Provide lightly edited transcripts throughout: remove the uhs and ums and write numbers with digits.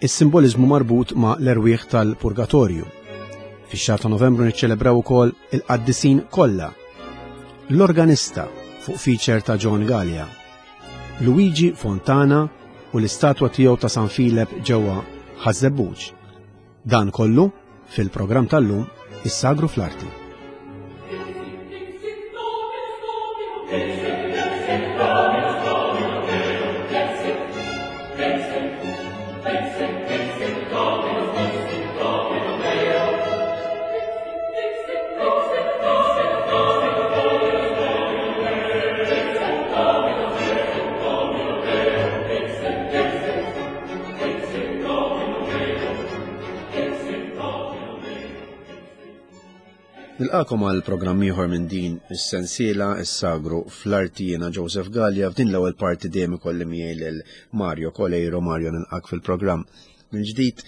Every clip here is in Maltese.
is-simboliżmu marbut ma' l-erwieħ tal-purgatorju. Fix-xahar ta' Novembru niċċelebraw ukoll il-qaddisin kollha. L-organista fuq feature ta' John Gallia. Luigi Fontana u l-istatwa tiegħu ta' San Filep ġewwa Ħaż-Żebbuġ. Dan kollu fil-programm tal-lum Is-Sagru fl-Arti. Nilqakom għal programm ieħor minn din is-sensiela is-sagru fl-arti jiena Joseph Gallia f'din l-ewwel parti dejjem ikolli miegħi lil Mario Kolejro Mario nilqak fil-programm mill-ġdid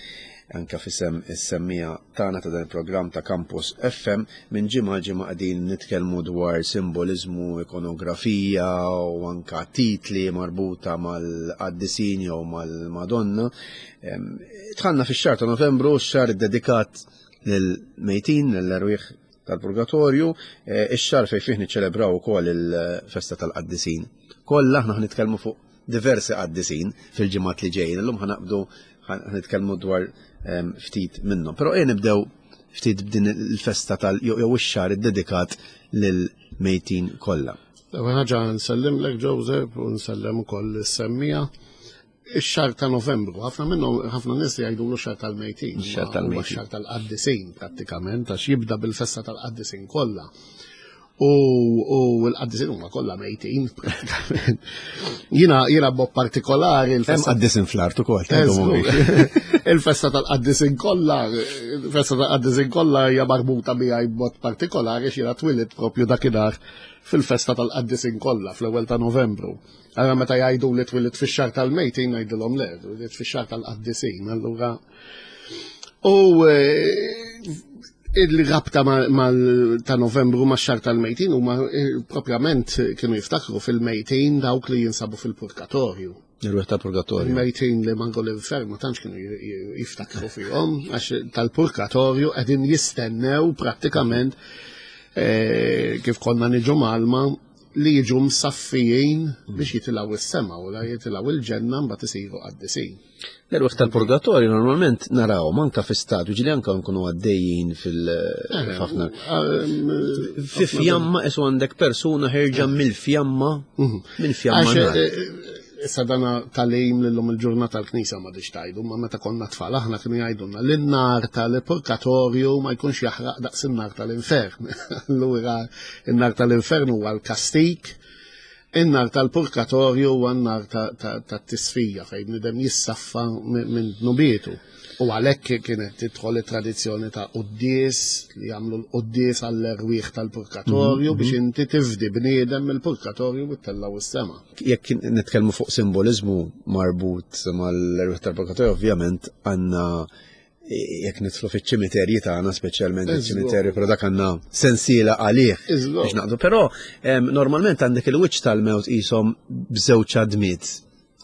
anka fisem is-semmija tagħna ta' dan il-programm ta' Campus FM minn ġimgħa ġimgħa qegħdin nitkellmu dwar simboliżmu, ikonografija u anka titli marbuta mal-qaddisin jew mal-Madonna. Tħanna fix-xahar ta' Novembru, x-xahar dedikat lill-mejtin, lill-erwieħ tal-purgatorju, eh, ix-xahar fejn fih niċċelebraw ukoll il-festa tal-qaddisin. Kollha aħna nitkellmu fuq diversi qaddisin fil-ġimgħat li ġejjin. Illum ħanaqbdu ħanitkellmu dwar ehm, ftit minnhom. Però ejja nibdew ftit b'din il-festa tal jew ix-xahar iddedikat lil mejtin kollha. L-ewwel ħaġa nsellimlek Joseph u nsellem ukoll is-semmija. Ix-xahar ta' Novembru, ħafna minnhom ħafna nies jgħidulu xahar tal-mejtin. Xahar tal-mejtin. Xahar tal-qaddisin prattikament għax jibda bil-festa tal-qaddisin kollha. U l-qaddisin huma kollha mejtin prattikament. Jiena jiena b'mod partikolari il-festa qaddisin fl-art ukoll. Il-festa tal-qaddisin kollha, il-festa tal-qaddisin kollha hija marbuta miegħi b'mod partikolari x'jiena twilit propju dakinhar fil-festa tal-qaddisin kollha fl-ewwel ta' Novembru. Allura meta jgħidu li twilit fix-xahar tal-mejtin ngħidilhom le, twilit fix-xahar tal-qaddisin, allura U eh, il-rabta ta' novembru ma' xar tal-mejtin huma eh, propjament kienu jiftakru fil-mejtin dawk li jinsabu fil-purgatorju. Il-ruħ tal-purgatorju. Il-mejtin li mangu l-infern ma tantx kienu jiftakru fihom għax tal-purgatorju qegħdin jistennew prattikament eh, kif konna niġu malma li jiġu msaffijin biex jitilgħu s-sema u la jitilgħu il-ġenna mbagħad isiru qaddisin. L-erwieħ tal-purgatorju normalment narawhom anka fi stadju ġili anka nkunu għaddejjin fil-ħafna. Eh, eh, fi fjamma isu għandek persuna ħerġa mill-fjamma mhm. minn fjamma. Eh, issa dana tal-lejm l-lum il-ġurnata tal-knisa ma diċ tajdu, ma meta konna tfal aħna kienu jgħidulna li n-nar tal-purgatorju ma jkunx jaħraq daqs in-nar tal-infern. Allura in-nar tal-infern huwa l-kastik In-nar tal-purkatorju huwa n-nar tat-tisfija fejn bniedem jissaffa minn dnubietu. U għalhekk kienet tidħol it-tradizzjoni ta' quddies li jagħmlu l-quddies għall-erwieħ tal-purkatorju mhm, biex mhm. inti tifdi bniedem mill-purkatorju u ttellgħu s-sema. Jekk nitkellmu fuq simboliżmu marbut mal-erwieħ tal-purkatorju, ovvjament għandna jekk nidħlu fiċ-ċimiterji tagħna speċjalment iċ-ċimiterju, però dak għandna sensiela għalih biex naqdu. Però normalment għandek il-wiċċ tal-mewt qishom b'żewġ għadmiet.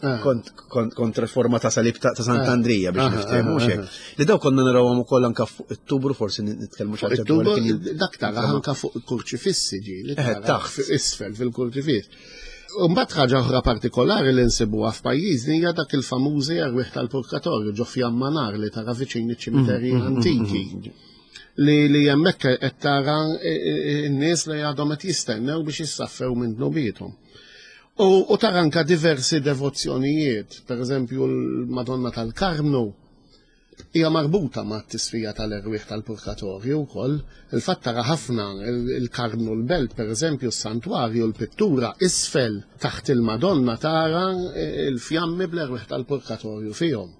Ah. Kont reforma ta' salib ta' Sant'Andrija ah. biex ah, niftehmu hekk. Li daw konna narawhom ukoll anke fuq it-tubru forsi nitkellmu xi ħaġa Dak tara anke fuq il-kurċifissi ġieli. Eh, taħt isfel fil-kurċifiss. Mbagħad ħaġa oħra partikolari li nsibuha f'pajjiżni hija dak il-famużi erwieħ tal-purkatorju ġo fjamma nar li tara viċin iċ-ċimiterji mm, mm, mm, antiki. Li li hemmhekk qed tara e, e, e, n-nies li għadhom qed jistennew biex jissaffew minn dnubiethom. U tara anka diversi devozzjonijiet, pereżempju l-Madonna tal-Karmnu, Hija marbuta mat-tisfija tal-erwieħ tal-purkatorju wkoll. Il-fatt tara ħafna il-Karmnu l-Belt, pereżempju, s-santwarju, l-pittura isfel taħt il-Madonna tara l-fjammi bl-erwieħ tal-purkatorju fihom.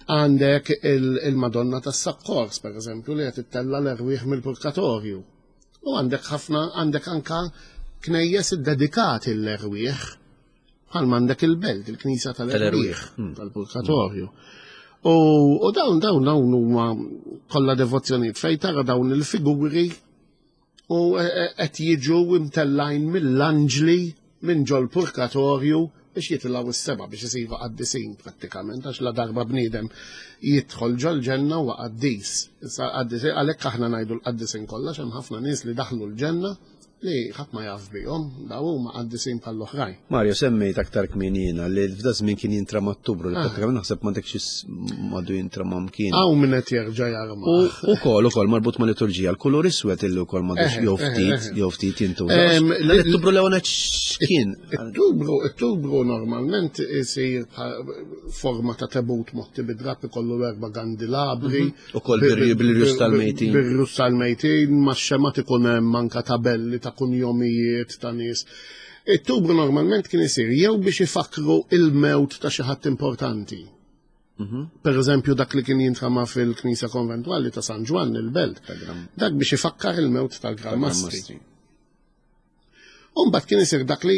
Għandek il-Madonna tas-Sakkors, pereżempju, li qed ittella' l-erwieħ mill-purkatorju. U għandek ħafna għandek anka knejjes iddedikati l-erwieħ. Bħal m'għandek il-belt, il-knisja tal-erwieħ, hmm. tal-purgatorju. U dawn dawn dawn huma kollha devozzjonijiet fejn tara dawn il-figuri u e, e, qed jiġu imtellajn mill-anġli minn ġol purgatorju. biex jitilgħu s-sema biex isiru qaddisin prattikament għax la darba bniedem jidħol ġol-ġenna huwa qaddis. Issa qaddisin għalhekk aħna ngħidu l-qaddisin kollha hemm ħafna nies li daħlu l-ġenna li ħadd ma jaf bihom, daw huma qaddisin bħall-oħrajn. Mario, semmejt aktar kmin jiena li f'da żmien kien jintrama Ottubru, li ah. pratikament naħseb m'għandekx madu jintrama mkien. Hawn min qed jerġa' jarma. U ukoll ukoll marbut ma' liturġija, l-kulur iswed illi wkoll m'għadux eh, jew eh, ftit eh, jew ftit jintuża. L-Ottubru l-ewwel x'kien? Ottubru, Ottubru normalment isir forma ta' tebut motti bid-drapp ikollu erba' gandilabri. Mhm. Ukoll bil-rjus tal-mejtin. Bil-rjus tal-mejtin, ma' xemat ikun hemm anka tabelli ta' kunjomijiet ta' nies. It-tubru normalment kien isir jew biex ifakru il-mewt ta' xi ħadd importanti. Mhm. Per eżempju dak li kien jintrama fil-Knisja Konventwali ta' San Ġwann il-Belt. Dak biex ifakkar il-mewt tal-Gran Mastri. Umbat kien isir dak li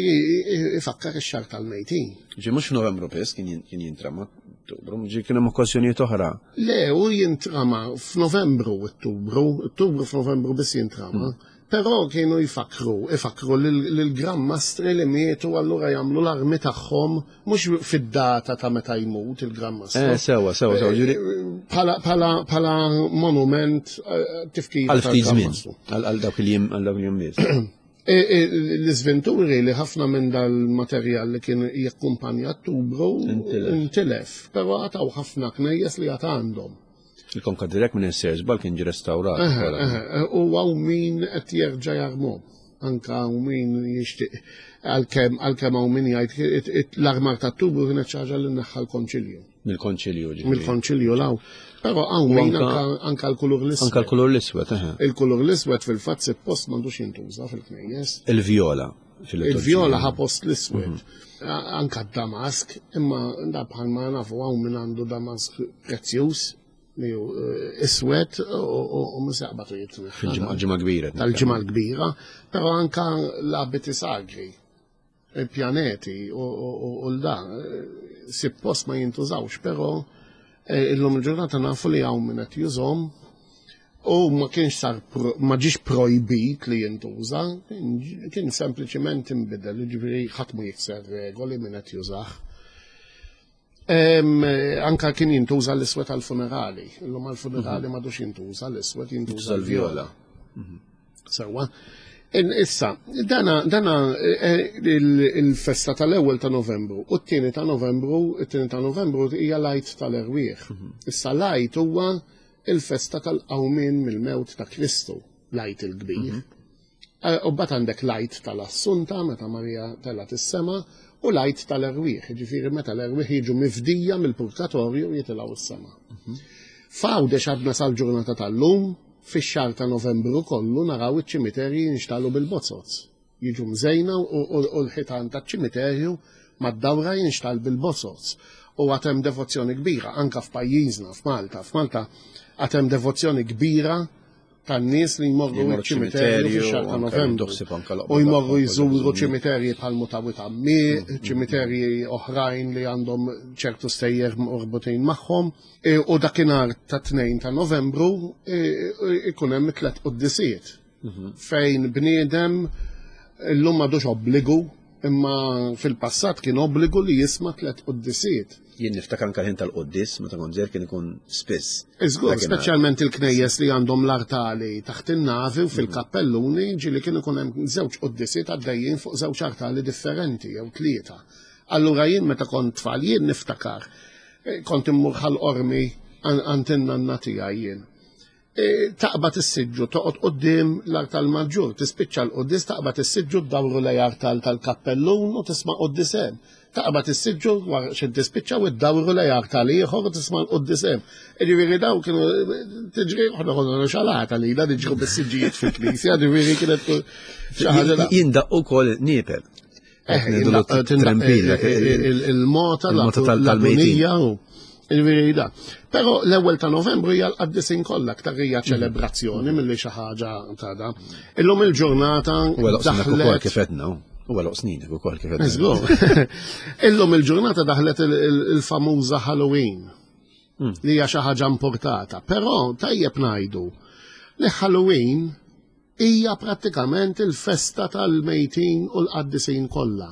ifakkar ix-xahar tal-mejtin. Ġi mhux f'Novembru biss kien jintrama Ottubru, ġi kien hemm okkażjonijiet oħra. Le, u jintrama f'Novembru Ottubru, Ottubru f'Novembru biss jintrama. Hmm. Però kienu jfakru, ifakru lill-Gran Mastri li mietu allura jagħmlu l-armi tagħhom mhux fid-data ta' meta jmut il-Gran Mastru. Eh, sewa, sewa, sewa, ġuri. Bħala monument eh, tifkir. Għal ftit żmien, għal dawk il-jiem għal dawk il-jiem biss. E, e, l-iżventuri li ħafna minn dal-materjal li kien jakkumpanja t-tubru intilef, però għataw ħafna knejjes li għat għandhom. Il-konka direkt minn Sears kien ġi restawrat. U għaw min qed jerġa' jarmu. Anka għaw min jixtieq għalkemm għalkemm hawn min jgħid l-armar tat-tubu kienet xi ħaġa li neħħa l-konċilju. Mill-konċilju ġifieri. Mill-konċilju law. Però hawn min anka l-kulur l-iswed. Anka l-kulur l-iswed, Il-kulur l-iswed fil-fatt suppost m'għandux jintuża fil-knejjes. Il-vjola. Il-vjola ħa post l-iswed. Mhm. Anka d-damask, imma da bħalma nafu hawn min għandu damask prezzjuż li hu eh, iswed u misaqbatu jitneħħa. Fil-ġimgħa kbira. Tal-ġimgħa kbira, però anka l-abiti sagri, il-pjaneti u l-da, eh, suppost ma jintużawx, però eh, illum il-ġurnata nafu li hawn min qed jużhom U ma kienx sar ma ġiex projbit li jintuża, kien sempliċiment inbidel, jiġifieri ħadd ma jikser regoli min qed jużah. Anka kien jintuża l-iswed għal-funerali. Illum għal-funerali mhm. m'għadux jintuża l-iswed, jintuża l-vjola. Mhm. Sewwa. Issa, dana, dana eh, il-festa tal-ewwel ta' Novembru u t-tieni ta' Novembru, it-tieni ta' Novembru hija l-Għid tal-Erwieħ. Mhm. Issa l-Għid huwa il-festa tal-qawmien mill-mewt ta' Kristu, l-Għid il-Kbir. Mhm. Eh, u bat għandek l-Għid tal-Assunta meta Marija telgħet is-sema u l-Għid tal-Erwieħ, ġifieri meta l-erwieħ jiġu mifdija mill-purgatorju jitilgħu s-sema. Mhm. F'Għawdex għadna sal-ġurnata tal-lum, fix-xahar ta' Novembru kollu naraw iċ-ċimiterji jinxtalu bil-bozoz. Jiġu mżejna u l-ħitan taċ-ċimiterju mad-dawra jinxtgħal bil-bozoz. U għad hemm devozzjoni kbira anke f'pajjiżna, f'Malta. F'Malta għad hemm devozzjoni kbira tan-nies li jmorru ċ-ċimiterju fix-xahar ta' Novembru. U jmorru jżuru ċimiterji bħal Mutawi ta' Mieq, mm, mm, ċimiterji mm. oħrajn li għandhom ċertu stejjer marbutin magħhom. E, u dakinhar ta' 2 ta' Novembru e, ikun hemm tliet quddisiet. Mhm. Fejn bniedem illum m'għadux obbligu, imma fil-passat kien obbligu li jisma' tliet quddisiet. Jien niftakar anke ħin tal-quddis meta kont żgħir kien ikun spiss. Iżgur, speċjalment il-knejjes li għandhom l-artali taħt in-navi u mhm. fil-kappelluni ġieli kien ikun hemm żewġ quddisiet għaddejjin fuq żewġ artali differenti jew tlieta. Allura jien meta kont tfal jien niftakar eh, kont immur ħal-qormi għand in-nanna tiegħi jien. E, taqbad is-siġġu toqgħod quddiem l-artal maġġur, tispiċċa l-quddies taqbad is-siġġu ddawru lej artal tal-kappellun u tisma' quddies hemm. Taqbad is-siġġu wara xi tispiċċa u ddawru lej artal ieħor u tisma' l-quddies hemm. Jiġifieri daw kienu tiġri aħna konna xalata li niġru bis-siġġijiet fil-knisja, ġifieri kienet xi ħaġa. Jindaq ukoll niepel. Eh, il-mota tal-mejtin. Il-virida. Pero l-ewwel ta' Novembru hija l-qaddisin kollha aktar hija mhm. ċelebrazzjoni milli xi ħaġa ta' da. Illum il-ġurnata daħlet kif edna. U għal snin ukoll kif edna. Illum il-ġurnata daħlet il-famuża Halloween. Hmm. Li hija xi ħaġa importata. Però tajjeb ngħidu li Halloween Hija prattikament il-festa tal-mejtin u l-qaddisin kollha.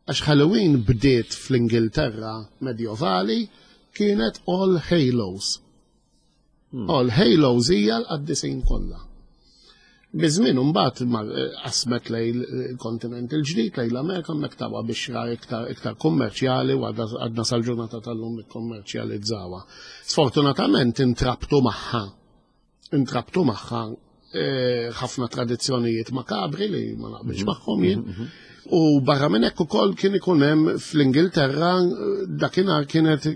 Għax Halloween bdiet fl-Ingilterra medjovali kienet All Hallows. All Hallows hija l-qaddisin kollha. Biż-żmien imbagħad qasmet lejn il-kontinent il-ġdid, lejn l-Amerika, hemmhekk tawha bixra iktar iktar kummerċjali u għadna sal-ġurnata tal-lum nikkummerċjalizzawha. Sfortunatament intrabtu magħha intrabtu magħha ħafna tradizzjonijiet makabri li ma naqbilx magħhom jien. U barra minn hekk ukoll kien ikun hemm fl-Ingilterra dakinhar kienet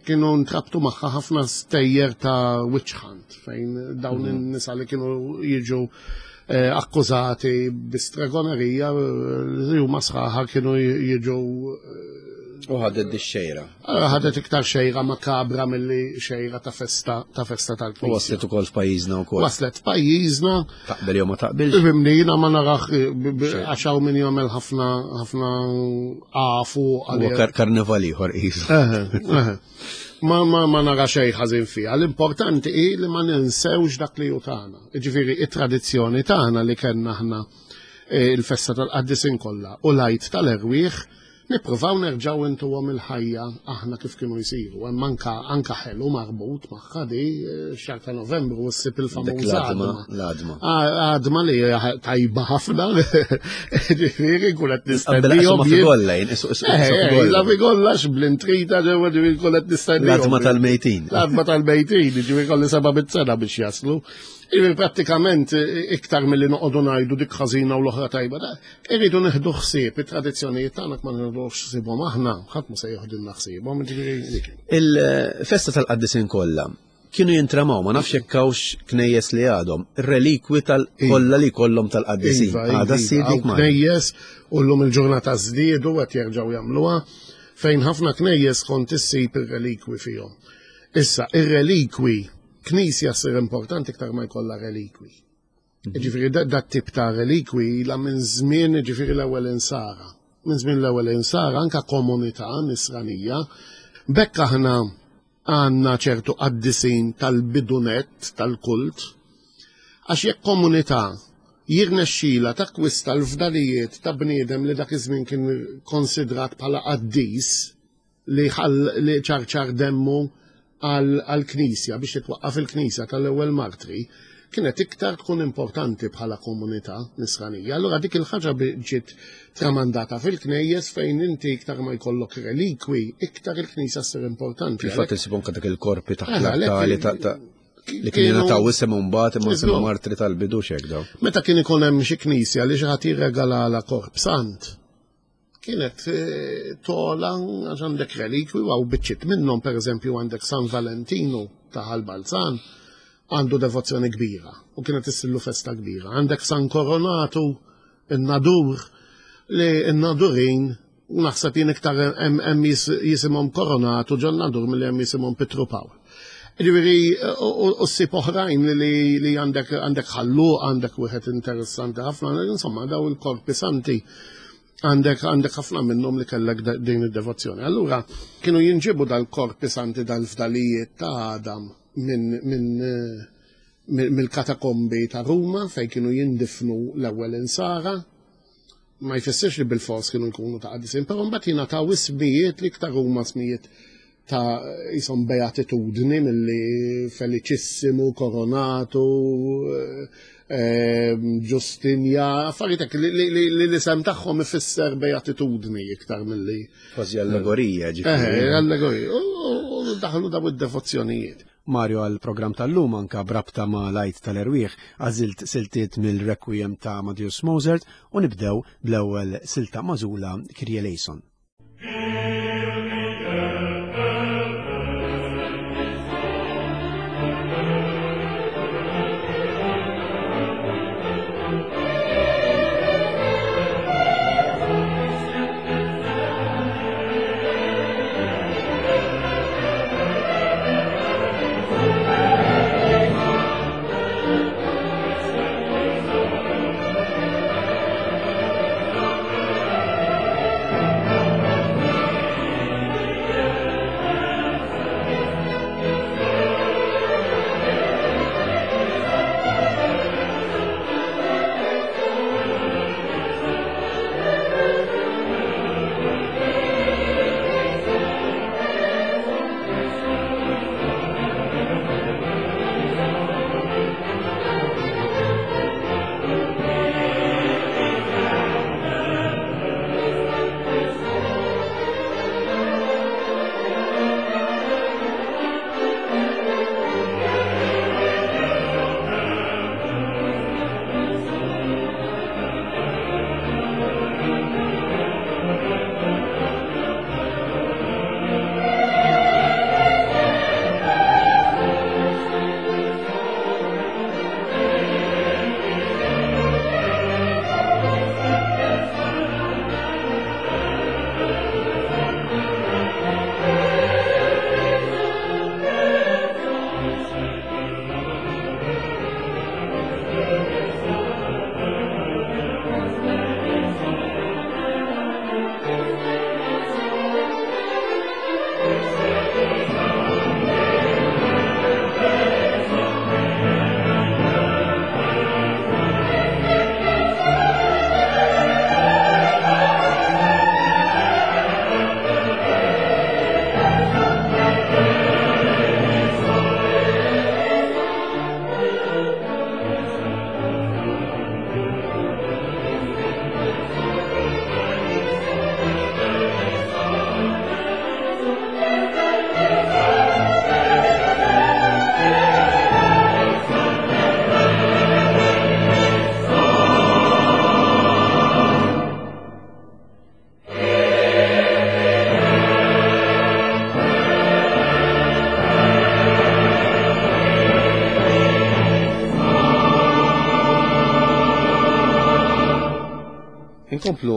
kienu ntrabtu magħha ħafna stejjer ta' witch hunt fejn dawn in-nisa li kienu jiġu akkużati bi stregonerija li huma sħaħa kienu jiġu U ħadet di xejra. Ħadet iktar xejra makabra milli xejra ta' festa ta' festa tal-Knisja. U waslet ukoll f'pajjiżna wkoll. Waslet f'pajjiżna. Taqbel jew ma taqbilx? Ifhimni, jiena ma narax għax hawn min jagħmel ħafna ħafna għafu għal. Karnival ieħor qisu. Ma ma ma nara xejn ħażin fiha. L-importanti hi li ma ninsewx dak li hu tagħna. Jiġifieri it-tradizzjoni tagħna li kellna aħna il-festa tal-qaddisin kollha u l-Għid tal-Erwieħ Nippruvaw nerġgħu intuhom il-ħajja aħna kif kienu jsiru. Hemm anka anka ħelu marbut magħha di x-xahar ta' Novembru ssib il-famuża għadma. L-għadma. Għadma li hija tajba ħafna. Ġifieri nkun qed nistennihom. Ma figolla jien, La figolla x'bl-intrita ġewwa ġifieri nkun qed nistennihom. L-għadma tal-mejtin. L-għadma tal-mejtin, ġifieri kolli seba' mit-sena biex jaslu. Ġifieri prattikament iktar milli noqogħdu ngħidu dik ħażina u l-oħra tajba. Irridu nieħdu ħsieb it-tradizzjonijiet tagħna ma nieħdux ħsiebhom aħna, ħadd ma se joħdilna ħsiebhom, ġifieri dik. Il-festa tal-qaddisin kollha kienu jintramaw, ma nafx jekk hawnx knejjes li għadhom, ir-relikwi tal-kollha li jkollhom tal-qaddisin. Iva, Għadha iva, ssir dik hawn knejjes u llum il-ġurnata żdiedu qed jerġgħu jagħmluha fejn ħafna knejjes kont issib ir-relikwi fihom. Issa, ir-relikwi, knisja ssir importanti iktar ma jkollha relikwi. Ġifieri dat tip ta' relikwi ilha minn żmien ġifieri l-ewwel insara. Minn żmien l-ewwel insara anka komunità nisranija. B'hekk aħna għandna ċertu qaddisin tal-bidunett tal-kult. Għax jekk komunità jirnexxilha takkwista l-fdalijiet ta' bniedem li dak iż-żmien kien konsidrat bħala qaddis, li li ċarċar demmu għall-Knisja biex titwaqqaf il-Knisja tal-ewwel martri, kienet iktar tkun importanti bħala komunità nisranija. Allura dik il-ħaġa ġiet tramandata fil-knejjes fejn inti iktar ma jkollok relikwi, iktar il-Knisja ssir importanti. Fil-fatt insib anke dak il-korpi taħt l-artali ta' li kien jingħataw isem mbagħad imma kienu martri tal-bidu x'hekk daw. Meta kien ikun hemm xi knisja li xi ħadd jirregalala korp sant, Kienet eh, tola għax għandek relikwi għaw biċċiet minnhom, pereżempju għandek San Valentinu ta' Ħal-Balzan, għandu devozzjoni kbira u kienet issillu festa kbira. Għandek San Koronatu, in-Nadur, li n-Nadurin naħseb jien iktar hemm jisimhom Koronatu ġon Nadur milli hemm jisimhom Pitru Pawl. Ġifieri u ssib oħrajn li għandek għandek ħalluq, għandek wieħed interessanti ħafna, insomma daw il-korpi santi għandek għandek ħafna minnhom li kellek din id-devozzjoni. Allura kienu jinġibu dal-korpi santi dal-fdalijiet ta' Adam minn min, eh, mill-katakombi ta' Ruma fejn kienu jindifnu l-ewwel insara. Ma jfissirx li bil-fors kienu jkunu ta' qaddisin, però mbagħad jingħataw ismijiet li iktar huma ismijiet ta' jisom beatitudni milli Feliċissimu, Koronatu, eh, Ġustinja, affarijiet hekk li l-isem tagħhom ifisser beatitudni iktar milli. Kważi allegorija, ġifieri. Eh, allegorija. U daħlu daw id-devozzjonijiet. Mario għal program tal-lum anka brabta ma' lajt tal-erwieħ għażilt siltiet mill-Requiem ta' Amadeus Mozart u nibdew bl-ewwel silta magħżula Kyrie eleison. Inkomplu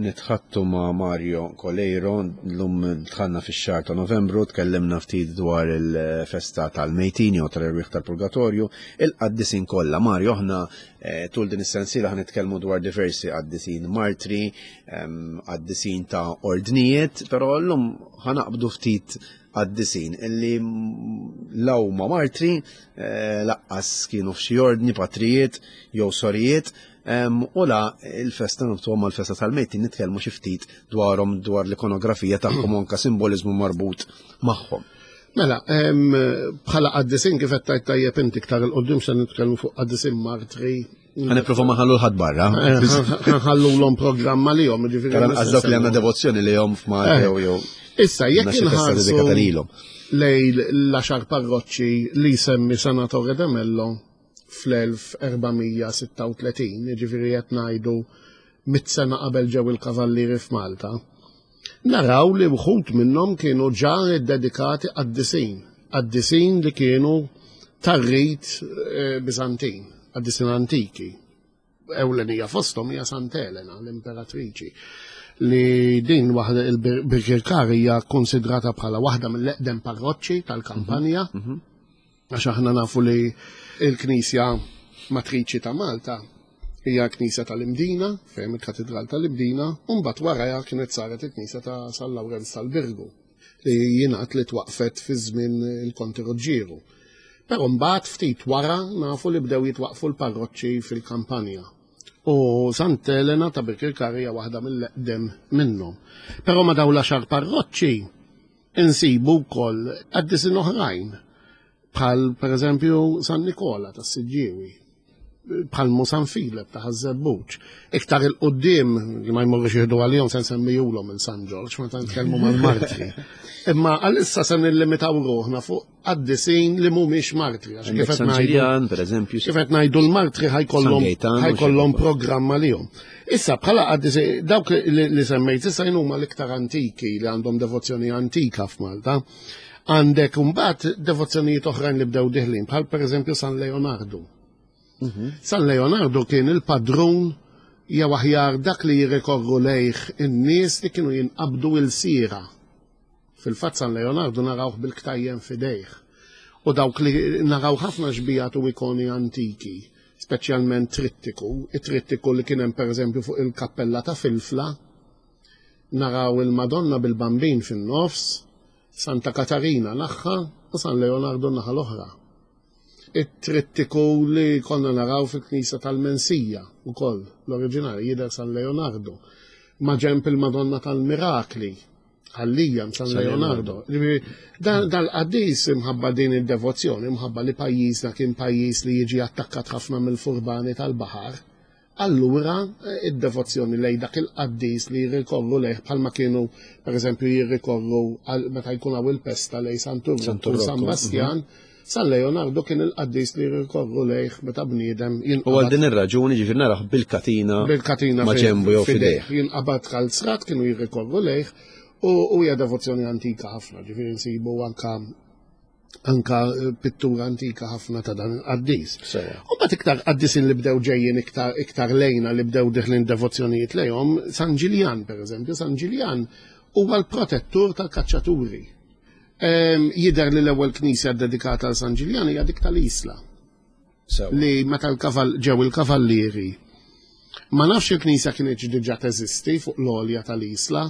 nitħattu ma' Mario Coleiro, l-lum dħalna fix-xahar ta' Novembru, tkellimna ftit dwar il-festa tal-mejtin jew tal-erwieħ tal-purgatorju, il-qaddisin kollha. Mario, aħna eh, tul din is-sensiela ħa nitkellmu dwar diversi qaddisin martri, ehm, qaddisin ta' ordnijiet, però llum ħa naqbdu ftit qaddisin illi law ma martri, eh, laqqas kienu f'xi ordni, patrijiet jew sorijiet, U la il-festa nobtuhom mal-festa tal-mejtin nitkellmu xi ftit dwarhom dwar l-ikonografija tagħhom u anke simboliżmu marbut magħhom. Mela, bħala qaddisin kif qed tgħid tajjeb inti iktar il qudiem se nitkellmu fuq qaddisin martri. Ħa nipprova ma ħallu l-ħadd barra. Eh, ħallu l-om programma li jom, ġifieri. Għax dawk li għandna devozzjoni li jom f'Malta eh. jew. Issa, jekk inħarsu lejn l-għaxar parroċċi li jsemmi Senatore De Mello fl-1436, jiġifieri qed ngħidu mit sena qabel ġew il-kavallieri f'Malta, naraw li wħud minnhom kienu ġa ddedikati qaddisin, qaddisin li kienu tar-rit eh, Biżantin, qaddisin antiki. Ewlenija fosthom hija Sant'Elena, l-imperatriċi, li din waħda il-Birkirkar hija konsidrata bħala waħda mill-eqdem parroċċi tal-kampanja. Mhm, mhm. Għax aħna nafu li il-Knisja Matriċi ta' Malta hija knisja tal-Imdina, fejn il-Katedral tal-Imdina, u mbagħad warajha kienet saret il-Knisja ta' San Lawrenz tal-Birgu li jingħad li twaqfet fi żmien il-Konti Ruġġieru. Però mbagħad ftit wara nafu li bdew jitwaqfu l-parroċċi fil-kampanja. U Sant Elena ta' Birkirkara hija waħda mill-eqdem minnhom. Però ma' dawn l-għaxar parroċċi insibu wkoll qaddisin oħrajn bħal pereżempju San Nikola tas-Siġġiewi bħal mu San Filep ta' Ħaż-Żebbuġ. Iktar il-qudiem li ma jmorrux jieħdu għalihom se nsemmijulhom il San Ġorġ meta nitkellmu mal-martri. Imma għalissa se nillimitaw ruħna fuq qaddisin li mhumiex martri għax kif qed ngħidu pereżempju. Kif qed ngħidu l-martri ħajkollhom ħajkollhom programm għalihom. Issa bħala qaddisin dawk li semmejt issa huma l-iktar antiki li għandhom devozzjoni antika f'Malta. Għandek imbagħad devozzjonijiet oħrajn li bdew diħlin bħal pereżempju San Leonardo. Mhm. San Leonardo kien il-padrun jew aħjar dak li jirrikorru lejh in-nies li kienu jinqabdu il-sira. Fil-fatt San Leonardo narawh bil-ktajjen f'idejh. U dawk li naraw ħafna xbijat u ikoni antiki, speċjalment trittiku, it-trittiku li kien hemm pereżempju fuq il-kappella ta' Filfla, naraw il-Madonna bil-Bambin fin-nofs, Santa Katarina naħa u San Leonardo naħa l-oħra. It-trittiku li konna naraw fil-knisja tal-Mensija ukoll, l-oriġinali jidher San Leonardo, ma' ġenb il-Madonna tal-Mirakli, Ħallija San Leonardo. Dal-qaddis imħabba din id-devozzjoni, imħabba li pajjiżna kien pajjiż li jiġi attakkat ħafna mill-furbani tal-baħar, allura eh, id-devozzjoni lej dak il-qaddis li jirrikorru lejh bħalma kienu pereżempju jirrikorru meta jkun hawn il-pesta lej Santu San Bastjan, mhm. San Leonardo kien il-qaddis li jirrikorru lejh meta bniedem jinqabad. U għal din ir-raġuni ġifier naraħ bil-katina bil-katina ma' ġenbu jew fidejh. Jinqabad kalzrat kienu jirrikorru lejh u hija devozzjoni antika ħafna, ġifieri nsibu anka anka eh, pittura antika ħafna ta' dan il-qaddis. U bat iktar qaddisin li bdew ġejjin iktar iktar lejna li bdew diħlin devozzjonijiet lejhom, San Ġiljan pereżempju, San Ġiljan huwa l-protettur tal-kaċċaturi. Jidher li l-ewwel knisja ddedikata għal San Ġiljan hija dik tal-Isla. Li meta l-kaval ġew il-kavallieri. Ma nafx il-knisja kienet diġà teżisti fuq l-għolja tal-Isla,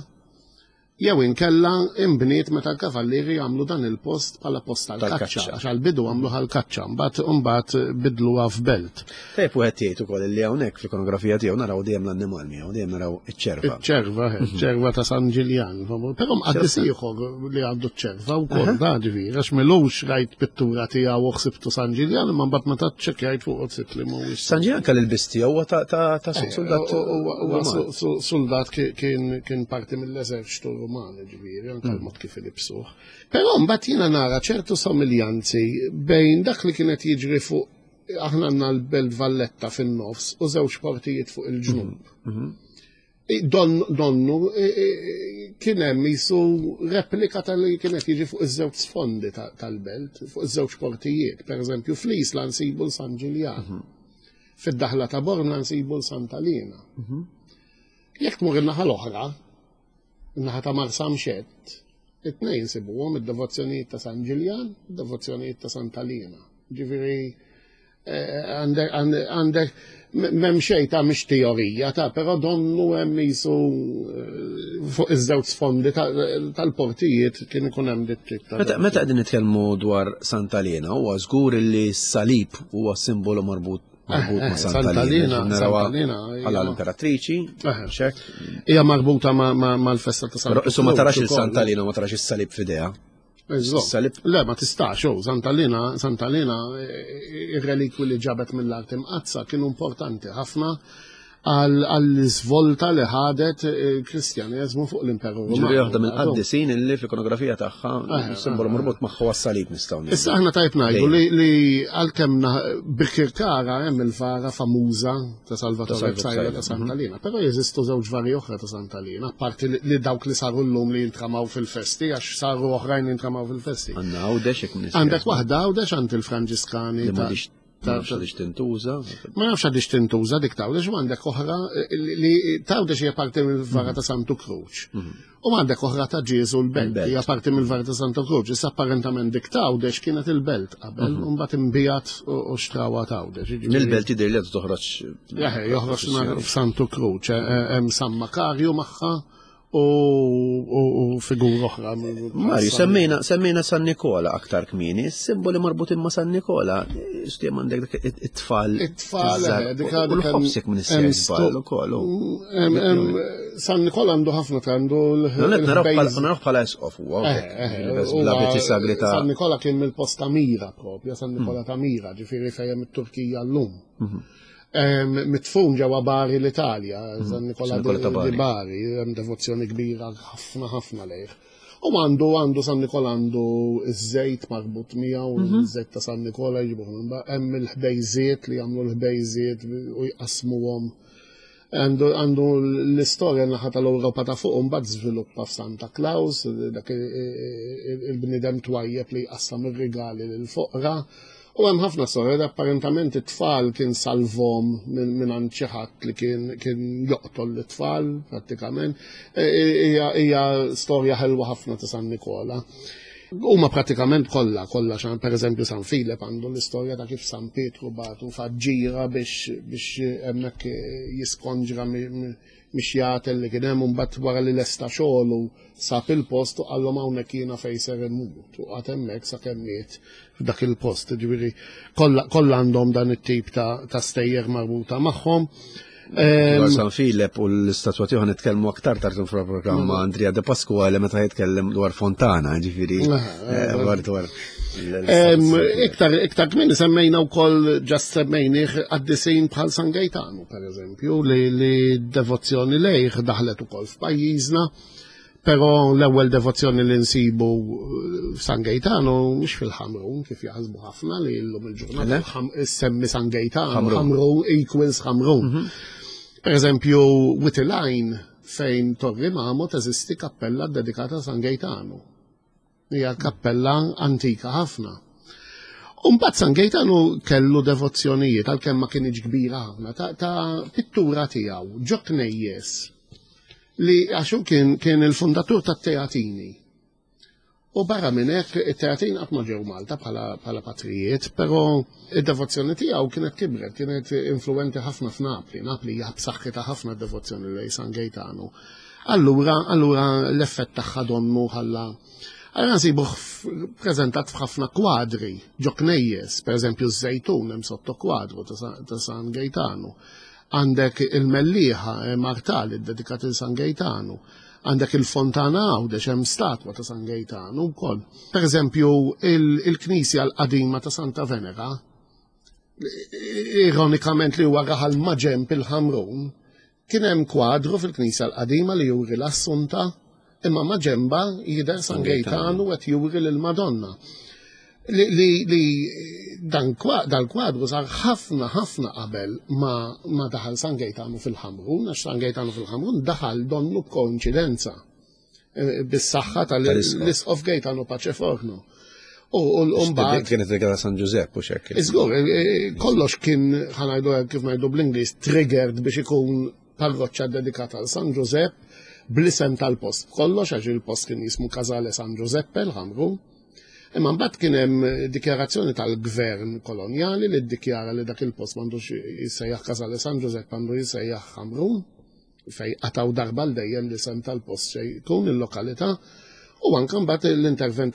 jew inkella imbniet meta l-kavallieri għamlu dan il-post bħala post tal-kaċċa, għax għall-bidu għamlu għall-kaċċa, mbagħad mbagħad bidluha f'belt. Tajjeb wieħed jgħid ukoll li hawnhekk fl-ikonografija tiegħu naraw dejjem l-annimal miegħu, dejjem naraw iċ-ċerva. Iċ-ċerva, eh, ċerva ta' San Ġiljan. Però mqaddis ieħor li għandu ċ-ċerva wkoll da ġifieri, għax milux rajt pittura tiegħu u ħsibtu San Ġiljan, imma mbagħad meta ċċekkjajt fuq sibt li mhuwiex. San Ġiljan kelli l-biss tiegħu huwa ta' eh, soldat. Huwa soldat kien parti mill-eżerċtu Ruman, ġifieri, anke mm. l-mod kif ilibsuh. Però mbagħad jiena nara ċertu somiljanzi bejn dak li kienet jiġri fuq aħna għandna l-Belt Valletta fin-nofs u żewġ portijiet fuq il-ġnub. Mhm, mhm. Don, donnu kien hemm jisu replika tal-li kienet jiġi fuq iż-żewġ sfondi tal-belt, fuq iż-żewġ portijiet. Per eżempju, fl-Isla nsibu l-San Ġiljan. Mhm. Fid-daħla ta' Borna nsibu l-Santa Lina. Jekk tmur in-naħa l-oħra, in-naħa ta' Marsamxett, it-tnejn insibuhom id-devozzjonijiet ta' San Ġiljan, id-devozzjonijiet ta' Santa Liena. Ġifieri eh, għandek m'hemm xejn ta' mhix teorija ta' però donnu hemm jisu eh, fuq iż-żewġ sfondi tal-portijiet kien ikun hemm dit tip ta' Meta qegħdin nitkellmu dwar Santa Liena huwa żgur li s-salib huwa simbolu marbut marbut ma' Santa Lina, Santa Lina, bħala l-imperatriċi, xek. Hija marbuta mal-festa ta' Santa Lina. Ma tarax il-Santa Lina, ma tarax is-salib f'idea. Salib. Le, ma tistax, oh, Santa Lina, Santa Lina, ir-relikwi li ġabet mill-art imqazza kienu importanti ħafna għall-svolta li ħadet il-Kristjaneżmu fuq l-Imperu Ruman. Ġifieri waħda mill-qaddisin illi fl-ikonografija tagħha eh, simbolu marbut magħha għas-salib nistgħu. Issa aħna tajb ngħidu li għalkemm Birkirkara hemm il-vara famuża ta' Salvatore Psaila ta' Santa mhm. Lina, però jeżistu żewġ vari oħra ta' Santa Lina, apparti li dawk li saru llum li jintramaw fil-festi għax saru oħrajn jintramaw fil-festi. Għandna Għawdex hekk Għandek waħda Għawdex għand il-Franġiskani ta' Ma nafx għadix tintuża. Ma nafx għadix tintuża dik tawdex u għandek oħra li tawdex hija parti mill-vara ta' Santu Kruċ. Mhm. U għandek oħra ta' Ġieżu l-Belt, hija parti mill-vara ta' Santu Kruċ. Issa apparentament dik tawdex kienet il-belt qabel, mhm. u mbagħad imbijat u xtrawa tawdex. Mill-belt jidher li toħroġ. Joħroġ f'Santu Kruċ, eh, eh, hemm San Makarju magħha u figura oħra. Mario, semmejna, semmejna San Nikola aktar kmieni, simboli marbutin ma' San Nikola, stjem għandek dak it-tfal. It-tfal, eh, dik u l-ħobsek minn is-sejbal ukoll. San Nikola għandu ħafna għandu l-. Naraw bħala esqof huwa. Eh, eh, Bl-abiti sagri ta' San Nikola kien mill-post ta' Mira propja, San Nikola ta' Mira, ġifieri fejn it-Turkija llum. Mhm. Mitfun ġewwa Bari l-Italja, mhm. San Nikola di Bari, hemm devozzjoni kbira ħafna ħafna lejh. U għandu għandu San Nikola għandu iż-żejt marbut miegħu, mhm. iż-żejt ta' San Nikola jġibuh minn hemm il-ħbejżiet li jagħmlu l-ħbejżiet u jqasmuhom. Għandu l-istorja naħa tal-Ewropa ta' fuq mbagħad żviluppa f'Santa Claus, dak il-bniedem twajjeb li jqassam ir-rigali lill-foqra. U hemm ħafna storja li apparentament it-tfal kien salvhom minn għand xi ħadd li kien kien joqtol lit-tfal prattikament. E, e, hija storja ħelwa ħafna ta' San Nikola. Huma pratikament kollha, kollha xan pereżempju San Filep għandu l-istorja ta' kif San Pietru bagħtu faġġira biex biex hemmhekk jiskonġra mix-xjaten li kien hemm u mbagħad wara li lesta xogħlu sab il-post u qallhom hawnhekk jiena fejn ser immut u qagħad hemmhekk sakemm miet f'dak il-post. Ġifieri kollha għandhom dan it-tip ta' stejjer marbuta magħhom. Dwar San Filep u l-istatwa tiegħu nitkellmu aktar tard fil-programm ma' Andrea De Pasquale meta jitkellem dwar Fontana, ġifieri eh, dwar dwar. Iktar iktar kmieni semmejna wkoll ġast semmejnih qaddisin bħal San Gaetano pereżempju li li devozzjoni lejh daħlet ukoll f'pajjiżna. Però l-ewwel devozzjoni li nsibu eh, f'San Gaetano mhux fil-Ħamrun kif jaħsbu ħafna li llum il-ġurnata semmi San Gaetano, Ħamrun equals Ħamrun. Mhm. Per eżempju, Witilajn fejn Torri Mamo teżisti kappella dedikata San Gaetano. Hija kappella antika ħafna. Umbat San Gaetano kellu devozzjonijiet għalkemm ma kienx kbira ħafna ta', ta pittura tiegħu ġo knejjes li għax hu kien, kien il-fundatur tat-Teatini. U barra minn hekk it-Teatin qatt ma ġew Malta bħala, bħala patrijiet, però id-devozzjoni tiegħu kienet kibret, kienet influenti ħafna f'Napli. Napli hija b'saħħitha ħafna d-devozzjoni lejn San Gaetano. Allura, allura l-effett tagħha donnu ħalla. Allura nsibuh preżentat f'ħafna kwadri ġo knejjes, pereżempju ż-Żejtun hemm sotto kwadru ta' San Gaetano. Għandek il-Mellieħa hemm artal iddedikat lil San Gejtanu. Għandek il-Fontana Għawdex hemm statwa ta' San Gejtanu wkoll. Pereżempju, il-knisja l-qadima ta' Santa Venera, ironikament li huwa raħal maġenb il-Ħamrun, kien hemm kwadru fil-knisja l-qadima li juri l-Assunta Imma ma ġemba jidher San Gejtanu qed juri lil Madonna. Li, li, li dan dal-kwadru sar ħafna ħafna qabel ma, ma daħal San Gejtanu fil-Ħamrun, għax San Gejtanu fil-Ħamrun daħal donnu b'koinċidenza eh, bis-saħħa tal-Isqof Gejtanu Paċeforno. U mbagħad kienet regala San Ġużepp u xekk. Iżgur, eh, eh, kollox kien ħanajdu kif ngħidu bl-Ingliż triggered biex ikun parroċċa dedikata għal San Ġużepp bl-isem tal-post kollox għax il-post kien jismu Casale San Giuseppe l-Ħamrun. Imma mbagħad kien hemm dikjarazzjoni tal-gvern kolonjali li ddikjara li dak il-post m'għandux jissejjaħ Casale San Giuseppe għandu jissejjaħ Ħamrun fej qataw darba l dejjem l-isem tal-post xejn jkun il-lokalità. U anke mbagħad l-intervent